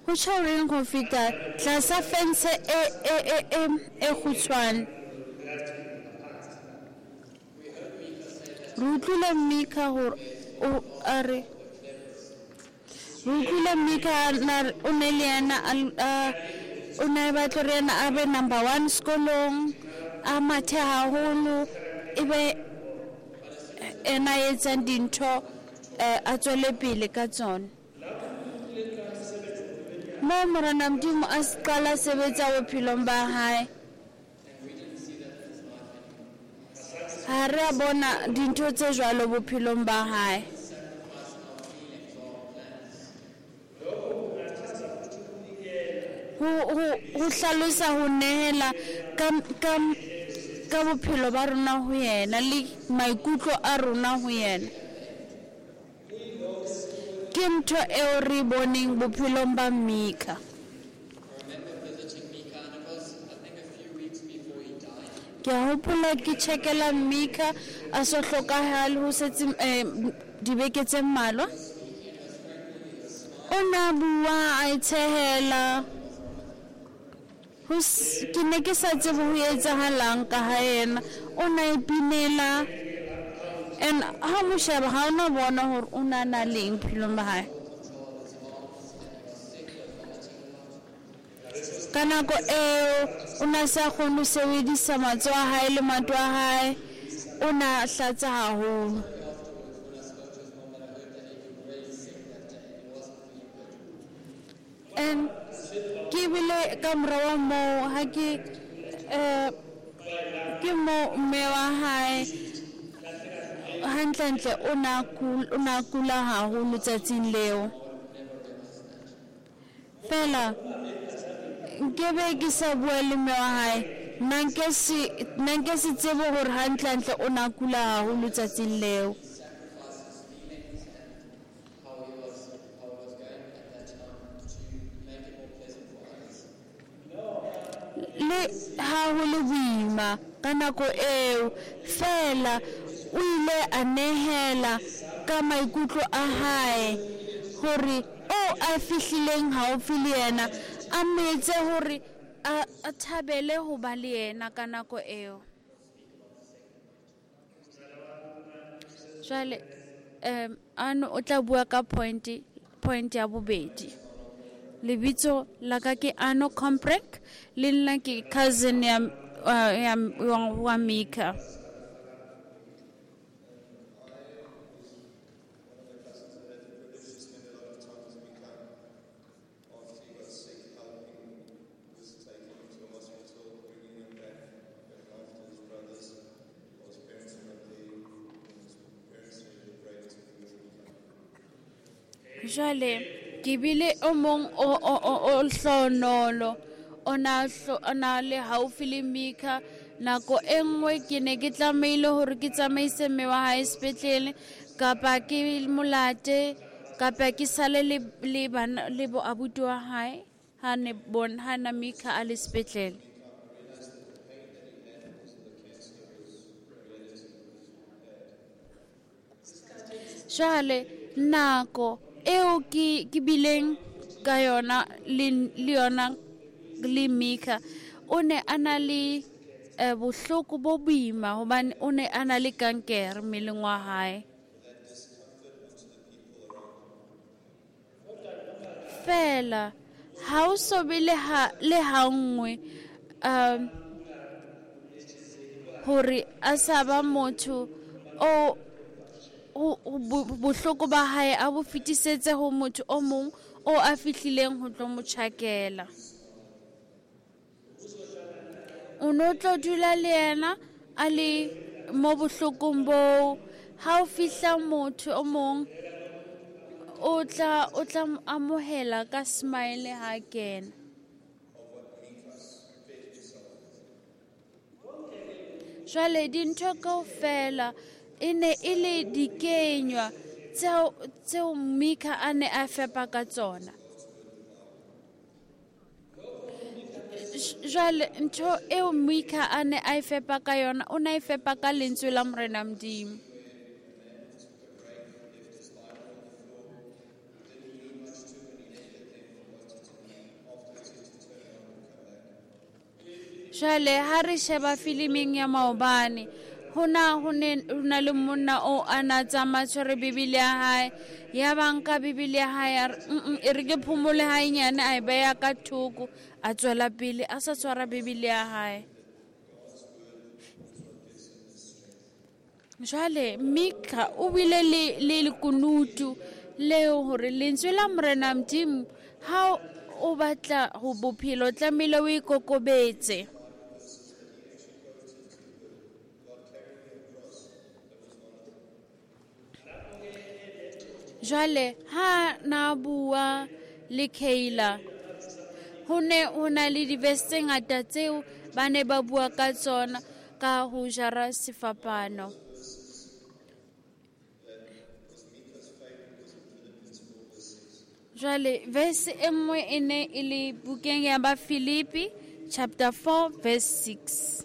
Ho tjho reng ho feta tlasa fence e e e e e kgutshwane? Re utlwile Mika hore o a re re utlwile Mika na o ne le yena a o ne batla hore yena a be number one sekolong, a mathe haholo, ebe ena a etsang dintho, a tswele pele ka tsona. Mo Morena Modimo a se qala sebetsa bophelong ba hae, ha re a bona dintho tse jwalo bophelong ba hae. Ho ho ho hlalosa ho nehela ka ka ka bophelo ba rona ho yena le maikutlo a rona ho yena. Ke ntho eo re boneng bophelong ba Mika. Ke a hopola ke tjhekela Mika a so hlokahale ho setse dibeke tse mmalwa. O na bua a itshehela. Ho ke ne ke sa tsebe ho etsahalang ka ha yena. O na ipinela. And ha mo sheba ha ona bona hore o na na le eng bophelong ba hae. Ka nako eo o na sa kgone ho sebedisa matsoho a hae le maoto a hae, o na hlatsa haholo. And ke bile ka mora wa moo ha ke eh ke mo mme wa hae hantlentle o na o na kula haholo tsatsing leo. Fela nkebe ke sa bua le mme wa hae, nna nke se nna nke se tsebe hore hantlentle o na kula haholo tsatsing leo. Le ha ho le boima ka nako eo, fela o ile a nehela ka maikutlo a hae hore o a fihlileng haufi le yena a metse hore a thabele ho ba le yena ka nako eo. Jwale um ano o tla bua ka point point ya bobedi. Lebitso la ka ke Ano Komprek, le nna ke cousin ya ya wa Mika. Jwale ke bile o mong o o o o hlonolo o na o na le haufi le Mika. Nako e nngwe ke ne ke tlamehile hore ke tsamaise mme wa hae sepetlele kapa ke molate kapa ke sale le le bana le bo abuti wa hae ha ne bon ha na Mika a le sepetlele. Jwale nako eo ke ke bileng ka yona le le yona le Mika, o ne a na le eh, bohloko bo boima hobane o ne a na le kankere mmeleng wa hae. Fela ha o so be le ha le ha nngwe um hore a sa ba motho o bohloko ba hae a bo fetisetse ho motho o mong o a fihlileng ho tlo mo tjhakela. O no tlo dula le yena a le mo bohlokong boo. Ha o fihla motho o mong o tla o tla amohela ka smile ha kena. Jwale dintho kaofela e ne e le dikenywa tseo tseo Mika a ne a fepa ka tsona. Jwale ntho eo Mika a ne a e fepa ka yona, o ne a e fepa ka lentswe la Morena Modimo. Jwale ha re sheba filiming ya maobane, hona ho ne ho na le monna o a na tsamaya tshwere Bibele ya hae, ya ba nka Bibele ya hae a re e re ke phomole hanyane, a e beha ka thoko, a tswela pele a sa tshwara Bibele ya hae. Jwale Mika o bile le le lekunutu leo hore lentswe la Morena Modimo ha o batla ho bophelo tlamehile o ikokobetse. Jwale ha na bua le Kayla, ho ne ho na le di-verse tse ngata tseo ba ne ba bua ka tsona ka ho jara sefapano. Jwale verse e nngwe e ne e le bukeng ya ba Filipi chapter four verse six.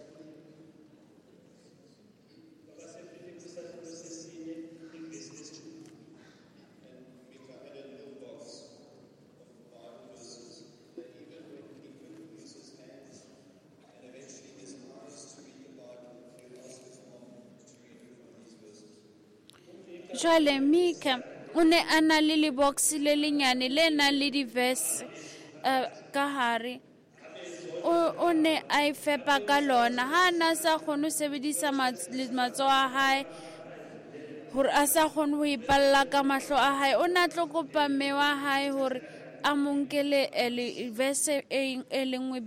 Jwale Mika o ne a na le lebox le lenyane le nang le di-verse ka hare. O ne a e fepa ka lona. Ha na sa kgone ho sebedisa matsoho a hae hore a sa kgone ho ipalla ka mahlo a hae, o ne a tlo kopa mme wa hae hore a mo nkele verse e le nngwe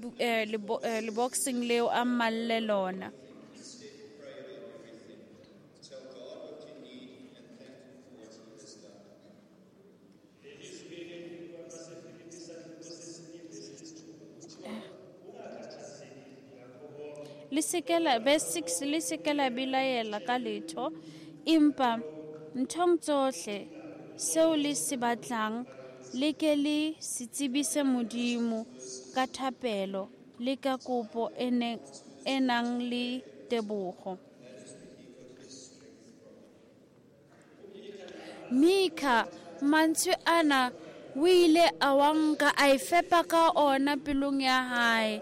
leboxeng leo a mmalle lona. Le se ke la verse six, le se ke la belaela ka letho, empa nthong tsohle seo le se batlang le ke le se tsebise Modimo ka thapelo le ka kopo e e nang le tebogo. Mika mantswe ana o ile a wa nka a e fepa ka ona pelong ya hae.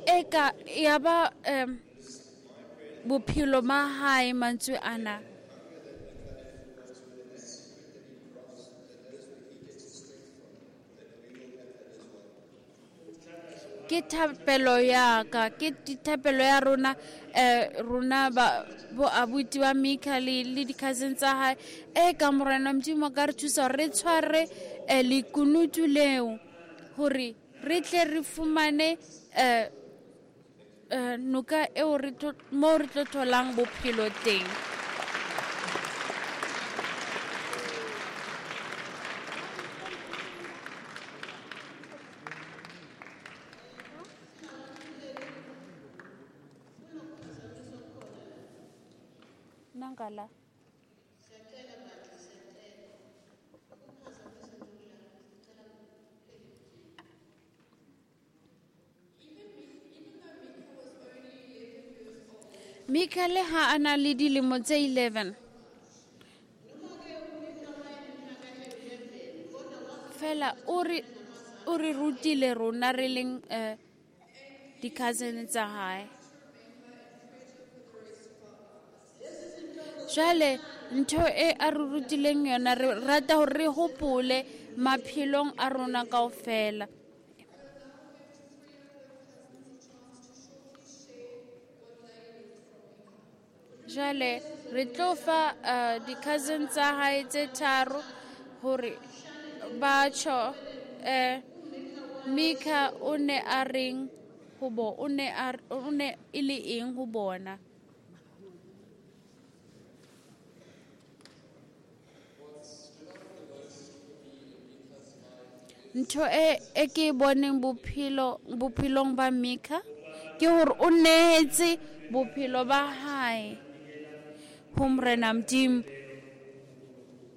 Eka ya ba um, bophelo ba hae mantswe ana. Ke thapelo ya ka, ke thapelo ya rona eh rona ba bo abuti ba Mika le le di-cousin tsa hae. E ka Morena Modimo ka re thusa re tshware lekunutu leo hore re tle re fumane eh noka eo re tlo mo re tlo tholang bophelo teng. Nangala. Mika le ha a na le dilemo tse eleven. Fela o re o re rutile rona re leng eh di-cousin tsa hae. Jwale ntho e a re rutileng yona re rata hore re hopole maphelong a rona kaofela. Jwale re tlo fa uh, di-cousin tsa hae tse tharo hore ba tjho eh Mika o ne a reng ho bo o ne a o ne e le eng ho bona. Ntho e e ke boneng bophelo bophelong ba Mika ke hore o nehetse bophelo ba hae ho Morena Modimo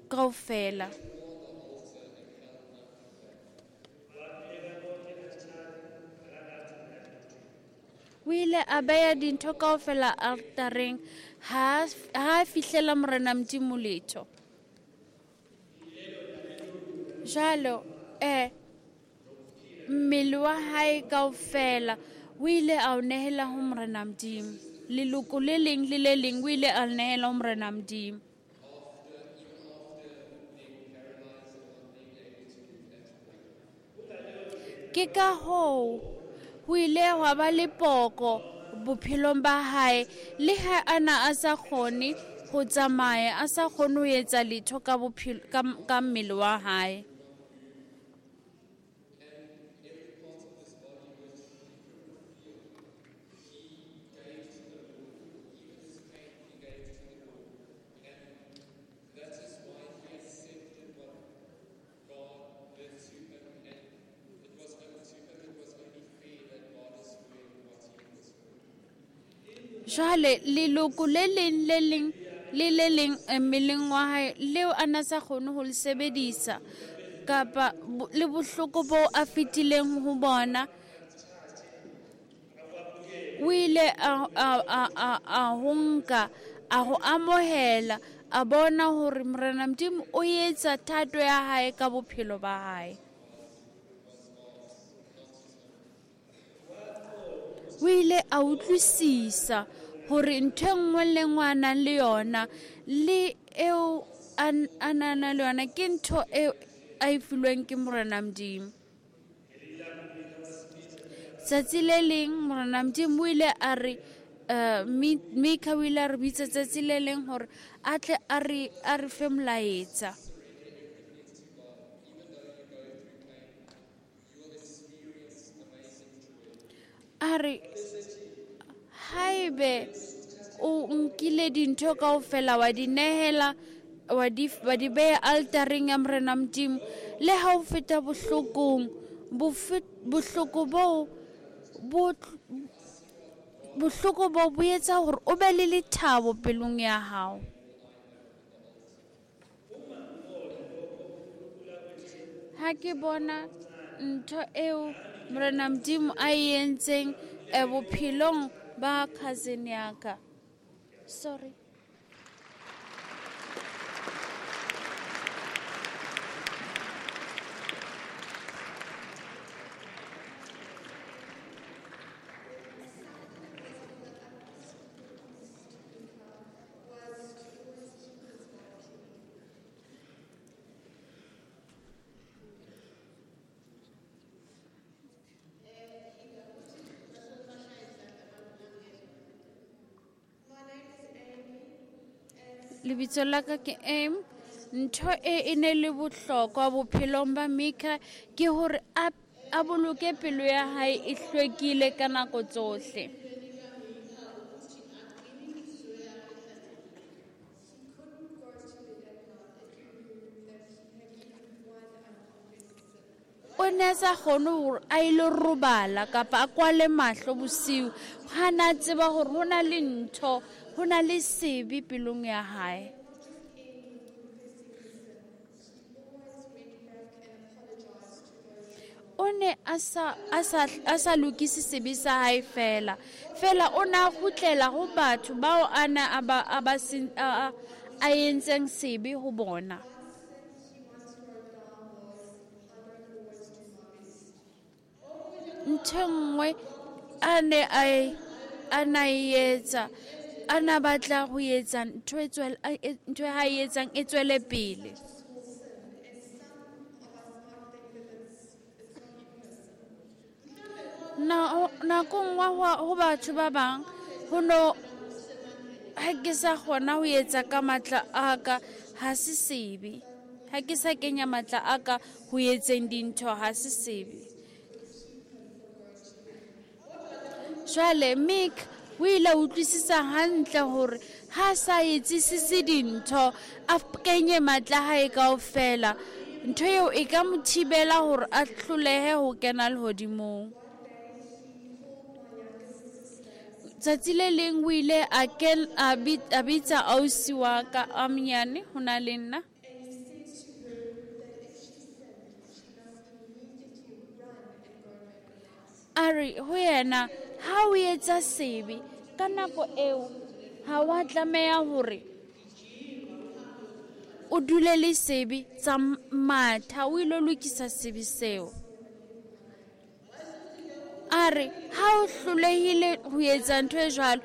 kaofela. O ile a beha dintho kaofela altareng ha ha fihlela Morena Modimo letho. Jwalo eh mmele wa hae kaofela o ile a o nehela ho Morena Modimo. Leloko le leng le le leng o ile a le nehela ho Morena Modimo. Ke ka hoo ho ile hwa ba le poko bophelong ba hae le ha ana a sa kgone ho tsamaya, a sa kgone ho etsa letho ka bophelo ka, ka mmele wa hae. Jwale leloko le leng le leng le le leng mmeleng wa hae leo a na sa kgone ho le sebedisa kapa le bohloko bo a fetileng ho bona, o ile a a a a ho nka a ho amohela a bona hore Morena Modimo o etsa thato ya hae ka bophelo ba hae. O ile a utlwisisa hore ntho e nngwe le nngwe a nang le yona le eo a nang le yona ke ntho eo a e filweng ke Morena Modimo. Tsatsi le leng Morena Modimo o ile a re uh, Mika o ile a re bitsa tsatsi le leng hore a tle a re a re fe molaetsa. A re haebe o nkile dintho kaofela wa di nehela wa di wa di beha altareng ya Morena Modimo, le ha o feta bohlokong bohloko bo bo bohloko bo bo etsa hore o be le lethabo pelong ya hao. Ha ke bona ntho eo Morena Modimo a e entseng e bophelong ba cousin ya ka. Sorry. Lebitso la ka ke M. Ntho e e ne le bohlokwa bophelong ba Mika ke hore a a boloke pelo ya hae e hlwekile ka nako tsohle. O ne a sa kgone hore a ilo robala kapa a kwale mahlo bosiu ha na tseba hore ho na le ntho ho na le sebe pelong ya hae. O ne a sa a sa a sa lokise sebe sa hae fela. Fela o na kgutlela ho batho bao a na a ba a ba a a entseng sebe ho bona. Ntho nngwe a ne a a na etsa a na batla ho etsa ntho e tswela ntho ha e etsang e tswele pele. Na nakong wa ho batho ba bang ho no ha ke sa kgona ho etsa ka matla a ka ha se sebe. Ha ke sa kenya matla a ka ho etseng dintho ha se sebe. Jwale Mick o ile utlwisisa hantle hore ha sa etsisise dintho a kenye matla hae kaofela ntho eo e ka mo thibela hore a hlolehe ho kena lehodimong. Tsatsi le leng o ile a ken a bitsa ausi wa ka a monyane ho na le nna. A re ho yena ha o etsa sebe ka nako eo ha wa tlameha hore o dule le sebe tsa matha o ilo lokisa sebe seo. A re ha o hlolehile ho etsa ntho e jwalo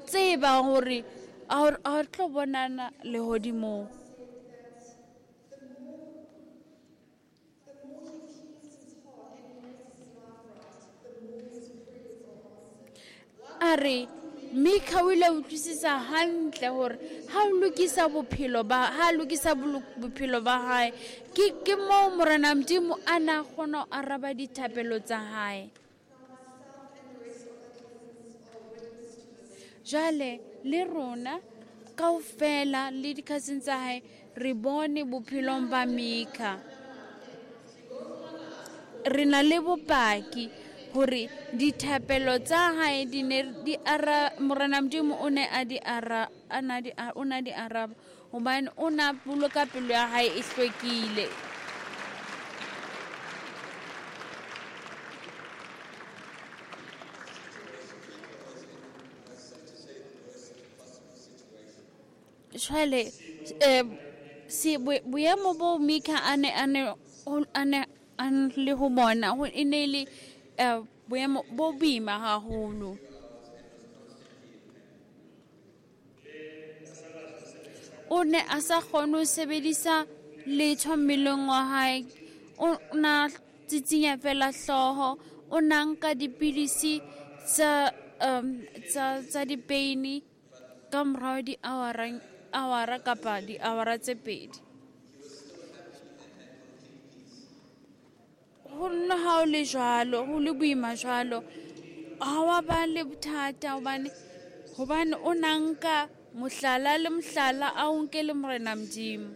tseba hore a tlo bonana lehodimong. A re Mika o ile utlwisisa hantle hore ha o lokisa bophelo ba ha lokisa bophelo ba hae ke ke moo Morena Modimo a na kgona ho araba dithapelo tsa hae. Jwale le rona kaofela le di-cousin tsa hae re bone bophelong ba Mika. Re na le bopaki hore dithapelo tsa hae di ne di ara Morena Modimo o ne a di ara a na di o na di araba hobane o na boloka pelo ya hae e hlwekile. Jwale eh se boemo bo Mika a ne a ne a ne a le ho bona ho e ne le boemo bo boima haholo. O ne a sa kgone ho sebedisa letho mmeleng wa hae. O na tsitsinya fela hlooho, o na nka dipidisi tsa um tsa tsa dipeini ka morao di-hour awara kapa di-hour tse pedi. Ho nna ha o le jwalo, ho le boima jwalo, ha wa ba le bothata hobane hobane o na nka mohlala le mohlala a o nke le Morena Modimo.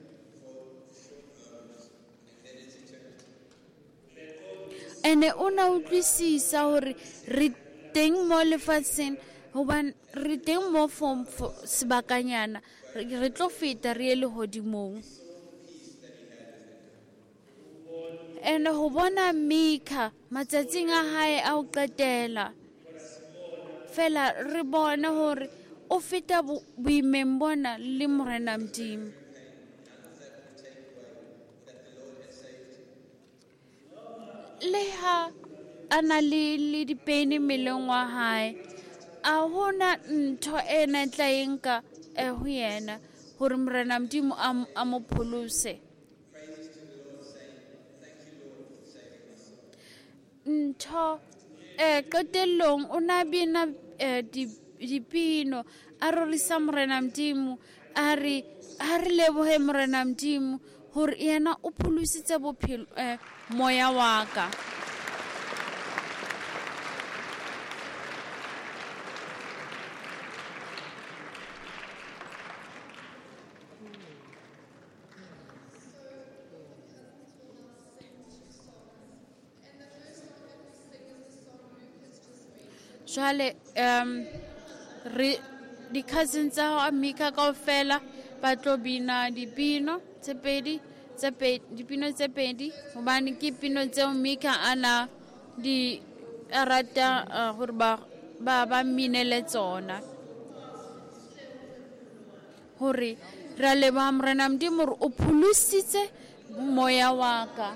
Ene o na utlwisisa hore re teng mo lefatsheng hobane re teng mo for sebakanyana re tlo feta re ye lehodimong. Ene ho bona Mika matsatsing a hae a ho qetela fela re bone hore o feta boimeng bona le Morena Modimo. Le ha a na le le dipeini mmeleng wa hae a hona ntho e na tla e nka ho yena hore Morena Modimo a mo pholose. Ntho eh qetellong o na bina dipino a rorisa Morena Modimo a re ha re lebohe Morena Modimo hore yena o pholositse bophelo eh moya wa ka. Jwale um re Di-cousin tsa hao Mika kaofela ba tlo bina dipino tse pedi tse pedi dipino tse pedi hobane ke pino tseo Mika ana di a rata uh, hore ba ba ba minele tsona. Hore ra leboha Morena Modimo hore o pholositse moya wa ka.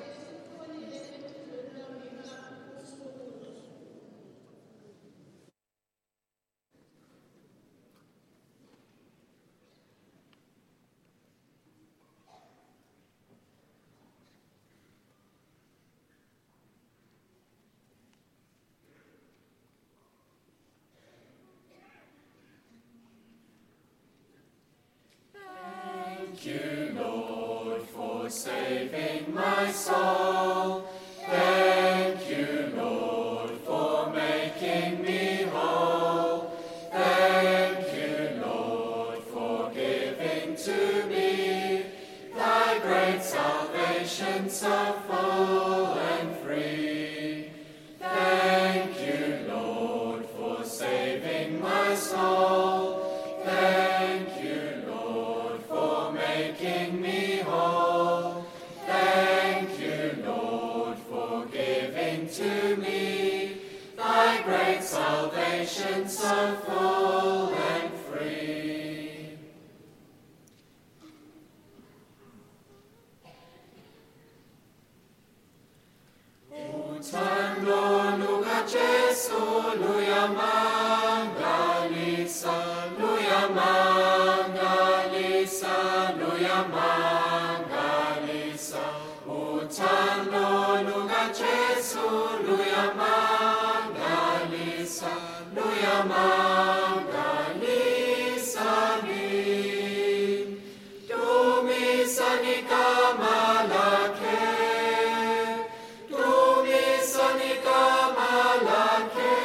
Thank you, Lord, for saving my soul. Thank you, Lord, for making me whole. Thank you, Lord, for giving to me thy great salvation so full and free. Thank you, Lord, for saving my soul. Thank you, Lord, for making me whole. Thank you, Lord, for giving to me thy great salvation so full and free. Uthando lukaJesu luyamangalisa, luyamangalisa, luyamangalisa. Uthando lukaJesu luyamangalisa, luyamangalisa mi. Dumisani igama lakhe, dumisani igama lakhe.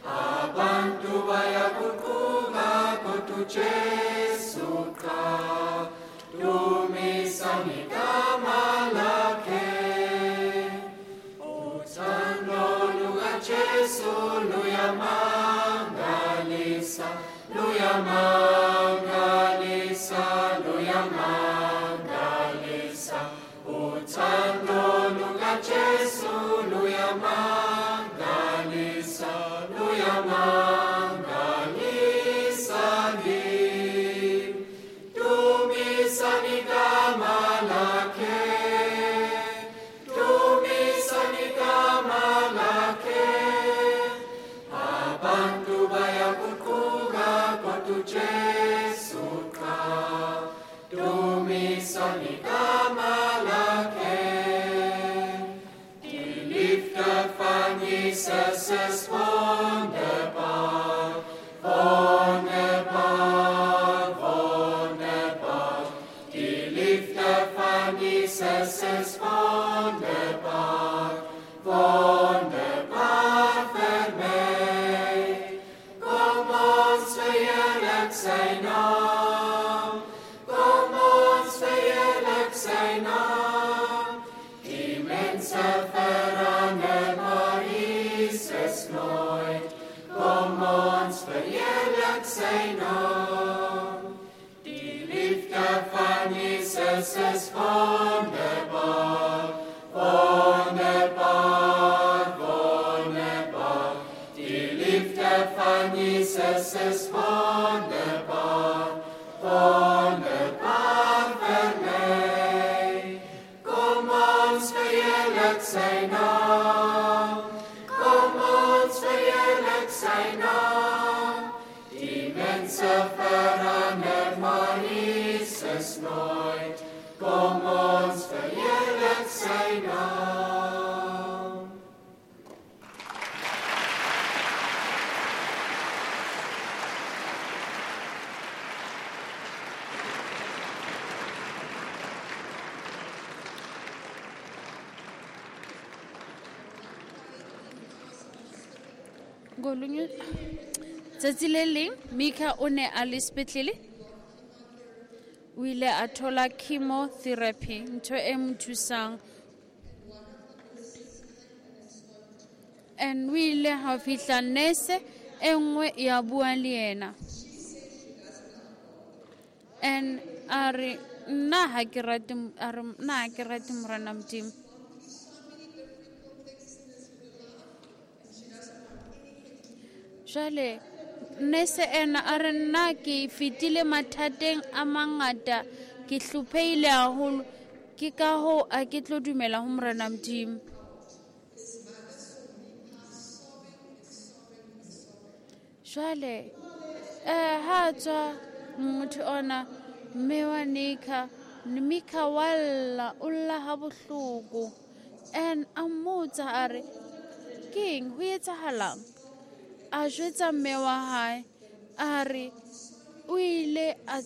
Abantu bayaguquka kodwa uJesu qha. Dumisani igama lakhe. Uthando lukaJesu luyamangalisa, luyamangalisa, luyamangalisa. Uthando lukaJesu luyamangalisa, luyamangalisa mi. Dumisani igama lakhe, dumisani igama lakhe. Abantu bayaguquka kodwa uJesu qha. Dumisani igama lakhe. Die Liefde van Jesus is wonderbaar, wonderbaar, wonderbaar. Die Liefde van Jesus is wonderbaar, wonderbaar vir my. Kom ons verheerlik sy naam, kom ons verheerlik sy naam. Die mense verander, maar Jesus nooit. Kom ons verheerlik sy naam. Die liefde van Jesus is wonderbaar, wonderbaar, wonderbaar. Die liefde van Jesus is wonderbaar, wonderbaar vir my. Kom ons verheerlik sy naam, kom ons verheerlik sy naam. Die mense verander, maar Jesus nooit. Kom ons verheerlik sy naam. Ngolunye tsatsi le leng Mika o ne a le sepetlele, o ile a thola chemotherapy, ntho e mo thusang. And o ile ha fihla nurse e nngwe ya bua le yena. And a re nna ha ke rate, a re nna ha ke rate Morena Modimo. Jwale nese ena a re nna ke fetile mathateng a mangata, ke hlopheile haholo, ke ka hoo a ke tlo dumela ho Morena Modimo. Jwale eh ha tswa motho ona mme wa Nika, Mika walla o lla ha bohloko. And a mmotsa a re keng ho etsahalang? A jwetsa mme wa hae a re o ile a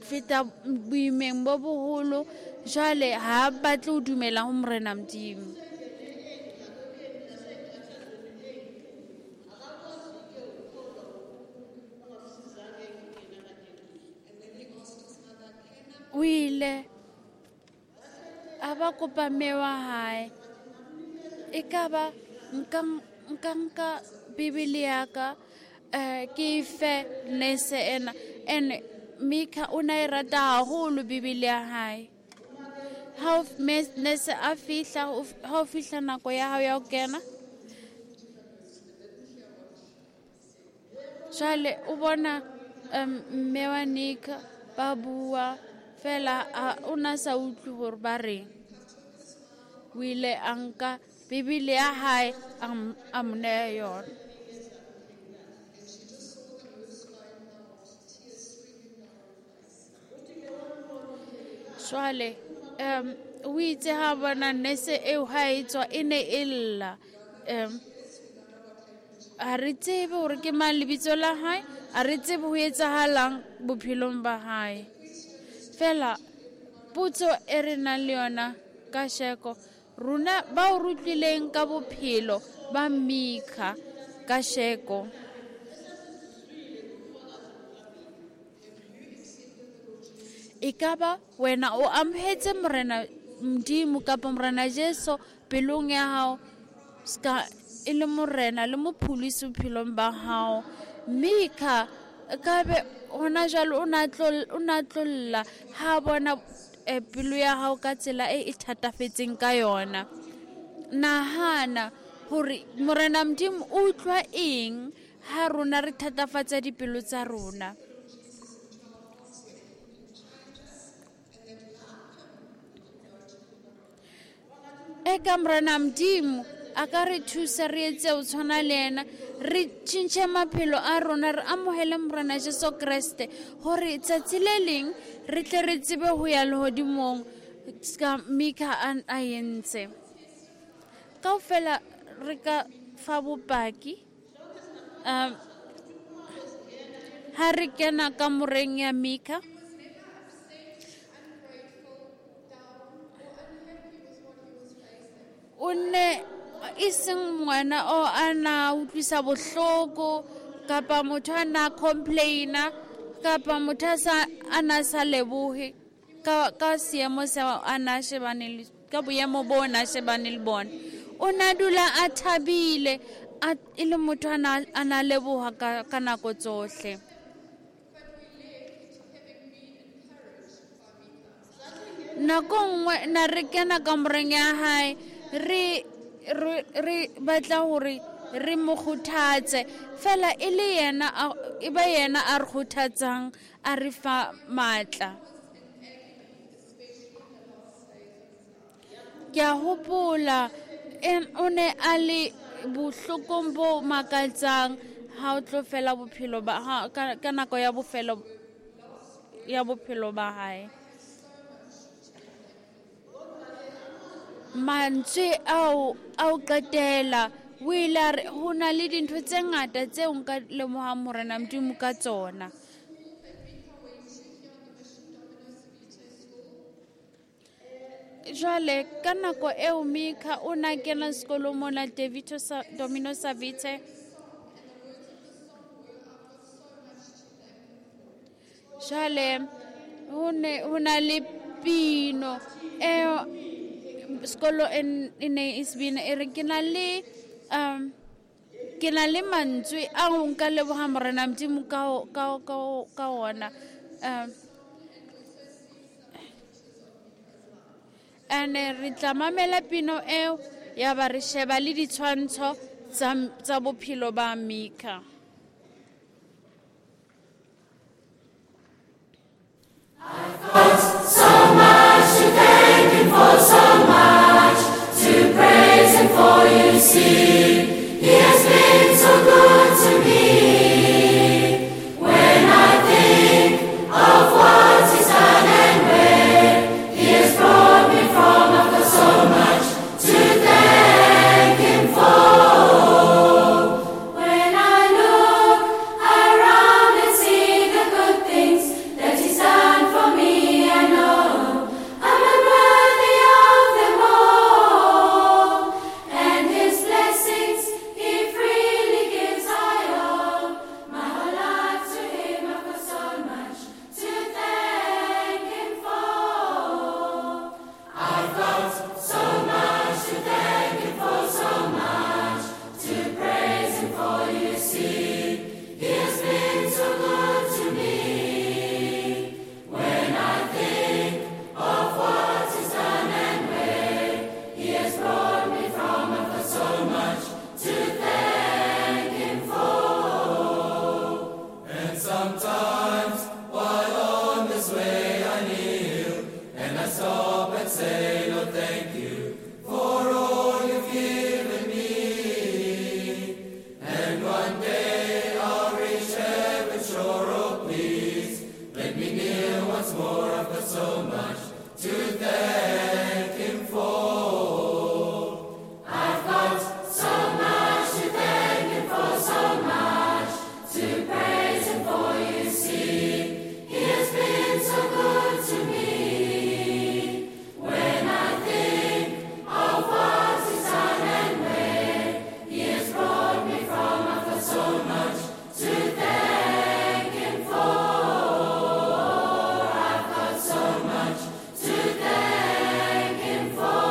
feta boimeng bo boholo, jwale ha batle ho dumela ho Morena Modimo. O ile a ba kopa mme wa hae, ekaba nka nka nka Bibele ya ka eh ke fe nese ena. And Mika o na e rata haholo Bibele ya hae. Ha nese a fihla, ha o fihla nako ya hao ya ho kena, jwale o bona mme wa Nika ba bua fela, o na sa utlwe hore ba reng. O ile a nka Bibele ya hae a mo neha yona. Jwale um o itse ha bona nese eo ha e tswa e ne e lla. Um ha re tsebe hore ke mang lebitso la hae, ha re tsebe ho etsahalang bophelong ba hae. Fela potso e re nang le yona kasheko, rona ba o rutlileng ka bophelo ba Mika kasheko, ekaba wena o amohetse Morena Modimo kapa Morena Jesu pelong ya hao ska e le Morena le mopholosi bophelong ba hao. Mika kabe hona jwale o na tlo o na tlolla ha bona pelo ya hao ka tsela e e thatafetseng ka yona. Nahana hore Morena Modimo o utlwa eng ha rona re thatafatsa dipelo tsa rona. Eka Morena Modimo a ka re thusa re etse ho tshwana le yena, re tjhentjhe maphelo a rona, re amohele Morena Jesu Kreste hore tsatsi le leng re tle re tsebe ho ya lehodimong ska Mika a entse. Kaofela re ka fa bopaki um ha re kena kamoreng ya Mika. O ne e seng ngwana o a na utlwisa bohloko kapa motho a na complaina kapa motho a sa a na sa lebohe ka ka seemo seo a na shebane le ka boemo bo na shebane le bona. O na dula a thabile a e le motho a na a na leboha ka ka nako tsohle. Nako nngwe na re kena kamoreng ya hae, re re re batla hore re mo kgothatse fela e le yena e ba yena a re kgothatsang a re fa matla. Ke a hopola o ne a le bohlokong bo makatsang ha o tlo fela bophelo ba ha ka nako ya bofelo ya bophelo ba hae. Mantswe ao ao qetela o ile a re ho na le dintho tse ngata tseo nka lemohang Morena Modimo ka tsona. Jwale ka nako eo Mika o na kena sekolong mona Devito Domino Savite. Jwale ho ne ho na le pino eo sekolo e ne e se bina e re ke na le um ke na le mantswe a ho nka leboha Morena Modimo ka ka ka ka ona. Um Ene re tla mamela pino eo ya ba re sheba le ditshwantsho tsa tsa bophelo ba Mika. I've got so much to thank him for, so much to praise him for, you see. He has been so good to me. When I think of what he's done and where he has brought me from, I've got so much to thank him for. When I look around and see the good things that he's done for me, I know I'm unworthy of them all. And his blessings he freely gives, I owe my whole life to him. I've got so much to thank him for. I've got so much to thank him for, so much to praise him for, you see. He has been so good to me. When I think of what he's done and where he has brought me from, I've got so much to thank him for. And sometimes while on this way I kneel and I stop and say, Lord, thank you for all you've given me. And one day I'll reach heaven's shore, oh please, let me kneel once more. I've got so much to thank him for. I've got so much to thank him for, so much to praise him for, you see. He has been so good to me. When I think of what he's done and where he has brought me from, I've got so much to thank him for. I've got so much to thank him for.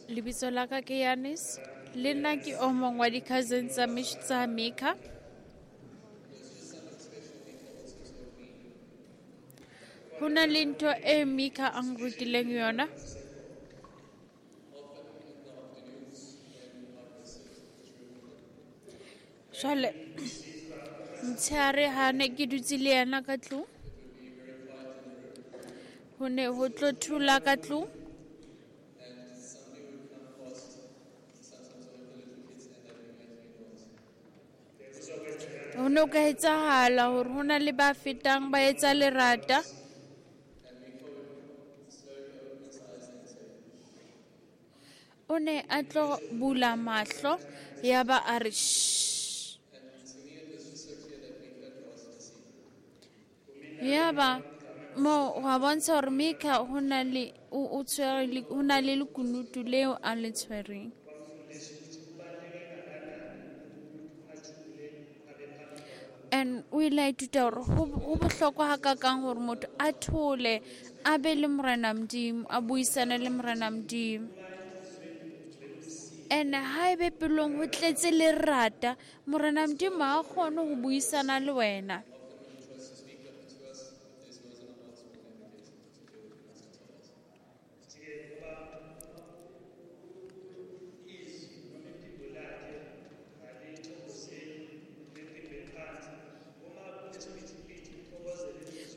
Lebitso la ka ke Yanis, le nna ke o mong wa di-cousin tsa Mish tsa Mika. Ho na le ntho e Mika a nrutileng yona. Jwale motshehare ha ne ke dutse le yena ka tlung, ho ne ho tlo thula ka tlung. Ho no ka etsahala hore ho na le ba fetang ba etsa lerata. O ne a tlo bula mahlo ya ba a re shh. Ya ba mo wa bontsha hore Mika ho na le o o tshwere le ho na le lekunutu leo a le tshwereng. And o ile a ithuta hore ho ho bohlokwa hakakang hore motho a thole a be le Morena Modimo, a buisane le Morena Modimo. And haebe pelong ho tletse lerata, Morena Modimo ha kgone ho buisana le wena.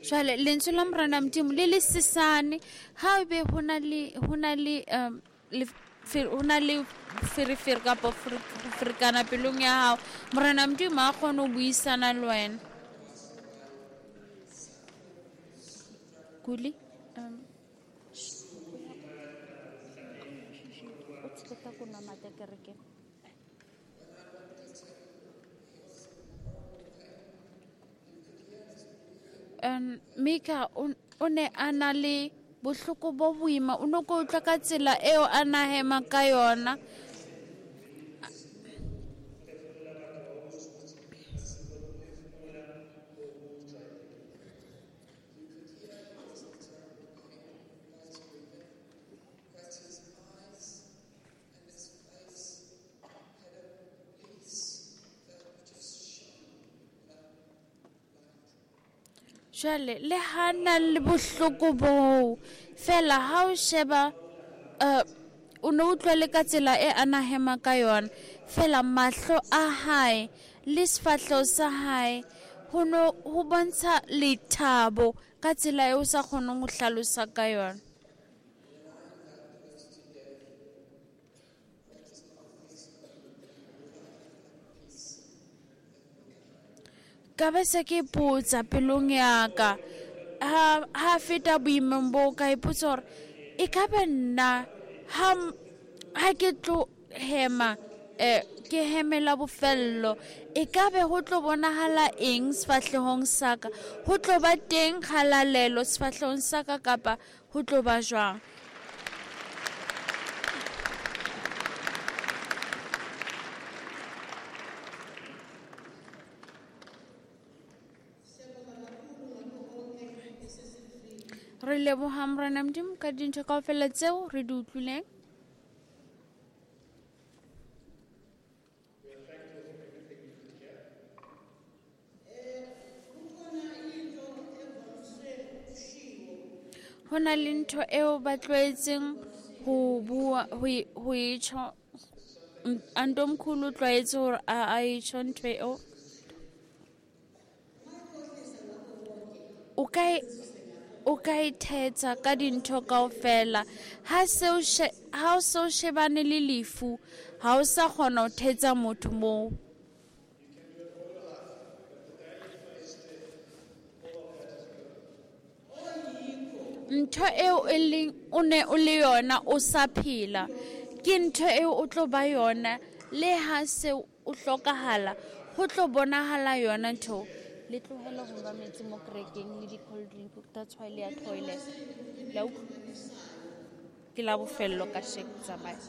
Jwale lentswe la Morena Modimo le le sesane, ha ebe ho na le ho na le um le ho na le ferefere kapa ferekana pelong ya hao, Morena Modimo ha kgone ho buisana le wena. Kuli um o tsheta ko nwa mate kerekeng. Um, Mika o ne a na le bohloko bo boima, o no ko utlwa ka tsela eo a na hema ka yona. Jwale le ha na le bohloko boo fela ha o sheba uh, o ne utlwa le ka tsela e a na hema ka yona fela mahlo a hae le sefahleho sa hae ho no ho bontsha lethabo ka tsela eo o sa kgoneng ho hlalosa ka yona. Ka be se ke ipotsa pelong ya ka ha ha feta boimeng bo ka ipotsa hore e ka ba nna ha ha ke tlo hema eh ke hemela bofello e ka be ho tlo bonahala eng sefahlehong sa ka, ho tlo ba teng kgalalelo sefahlehong sa ka kapa ho tlo ba jwang. Re leboha Morena Modimo ka dintho kaofela tseo re di utlwileng. Ho na le ntho eo ba tlwaetseng ho bua ho ho e tjho, Antomkhulu o tlwaetse hore a a e tjho ntho eo. O ka o ka ithetsa ka dintho kaofela ha seo ha o so shebane le lefu ha o sa kgona ho thetsa motho moo. Ntho eo e leng o ne o le yona o sa phela ke ntho eo o tlo ba yona le ha se o hlokahala ho tlo bonahala yona ntho. Le tlohele ho nwa metsi mo kerekeng le di-cold drink, that's why le ya toilet. La utlwa? Ke la bofello ka sheko tsamaya.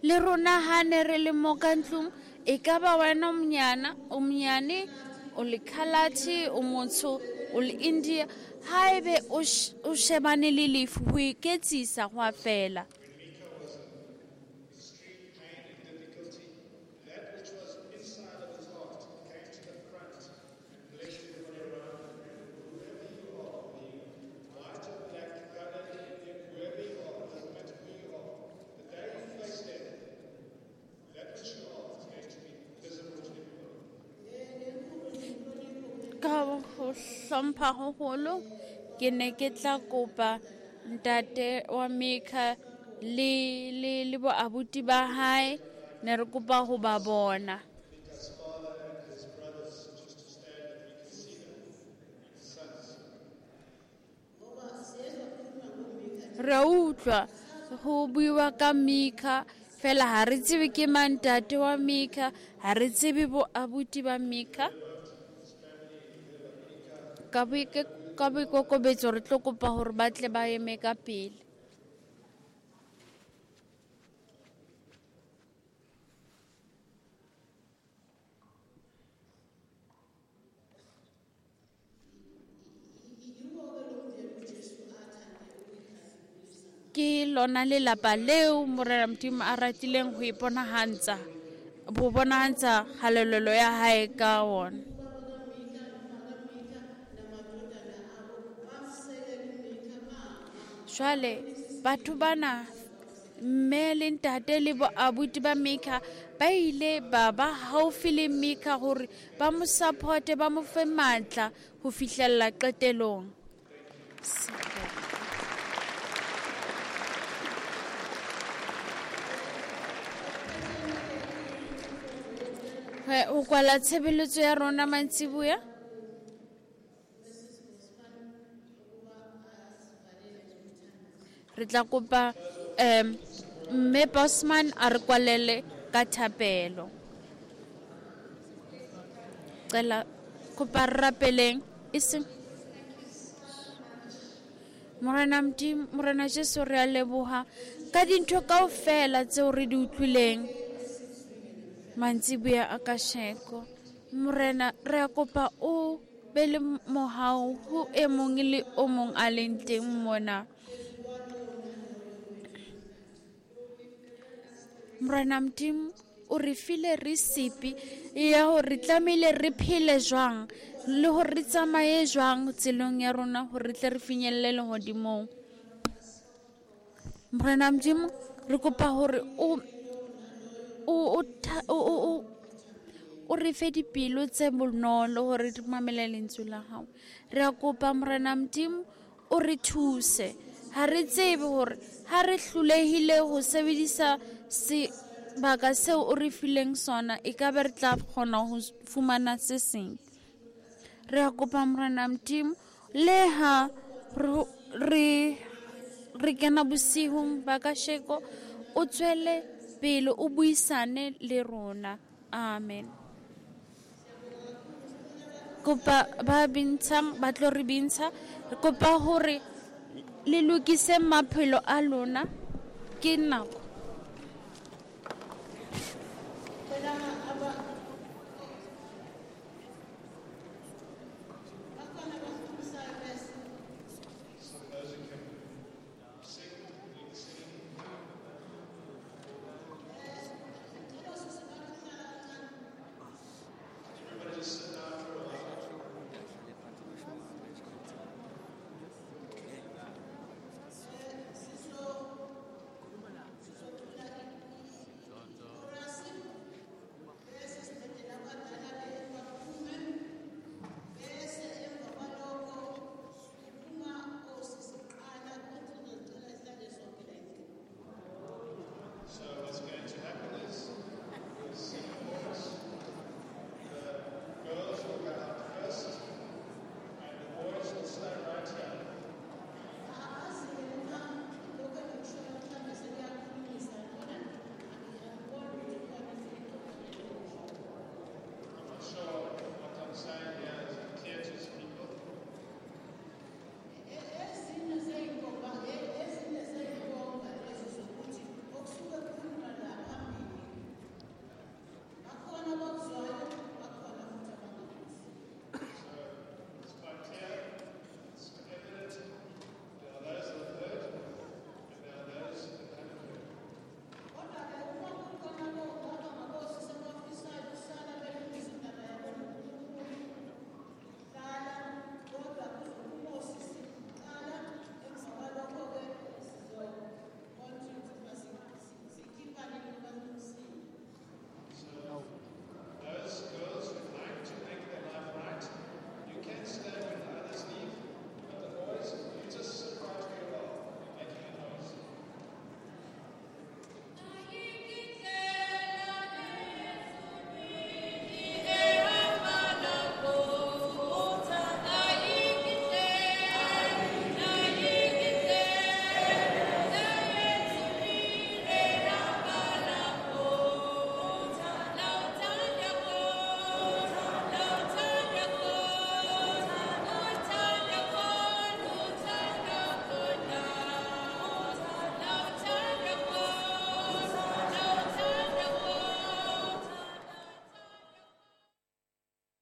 Le rona ha ne re le mo ka ntlong e ka ba wena o monyana o monyane o le Khalati o motsho o le India haebe o shebane le lefu ho iketsisa ho a fela. Hlompha haholo ke ne ke tla kopa ntate wa Mika le le le bo abuti ba hae ne re kopa ho ba bona. Re utlwa ho buiwa ka Mika fela ha re tsebe ke mang ntate wa Mika, ha re tsebe bo abuti ba Mika. Ka boikokobetso re tlo kopa hore ba tle ba eme ka pele. Ke lona lelapa leo Morena Modimo a ratileng ho iponahantsha ho bonahantsha kgalalelo ya hae ka wona. Jwale batho bana mme le ntate le bo abuti ba Mika ba ile ba ba haufi le Mika hore ba mo supporte ba mo fe matla ho fihlella qetelong. Ho kwala tshebeletso ya rona mantsiboya. Re tla kopa um mme Bosman a re kwalele ka thapelo. Cela kopa re rapeleng e seng Morena Modimo, Morena Jesu re a leboha ka dintho kaofela tseo re di utlwileng mantsiboya a kasheko. Morena re a kopa o be le mohau ho e mong le o mong a leng teng mona. Morena Modimo O re file recipe ya hore re tlamehile re phele jwang le hore re tsamaye jwang tseleng ya rona hore re tle re finyelle lehodimong. Morena Modimo, re kopa hore o o o o o re fe dipelo tse bonolo hore re mamele lentswe la hao. Re a kopa Morena Modimo o re thuse. Ha re tsebe hore ha re hlolehile ho sebedisa sebaka seo o re fileng sona, e ka be re tla kgona ho fumana se seng. Re a kopa Morena Modimo, le ha re re kena bosihung ba kasheko, o tswele pele o buisane le rona. Amen. Kopa ba bintshang ba tlo re bintsha, re kopa hore le lokise maphelo a lona. Ke nako.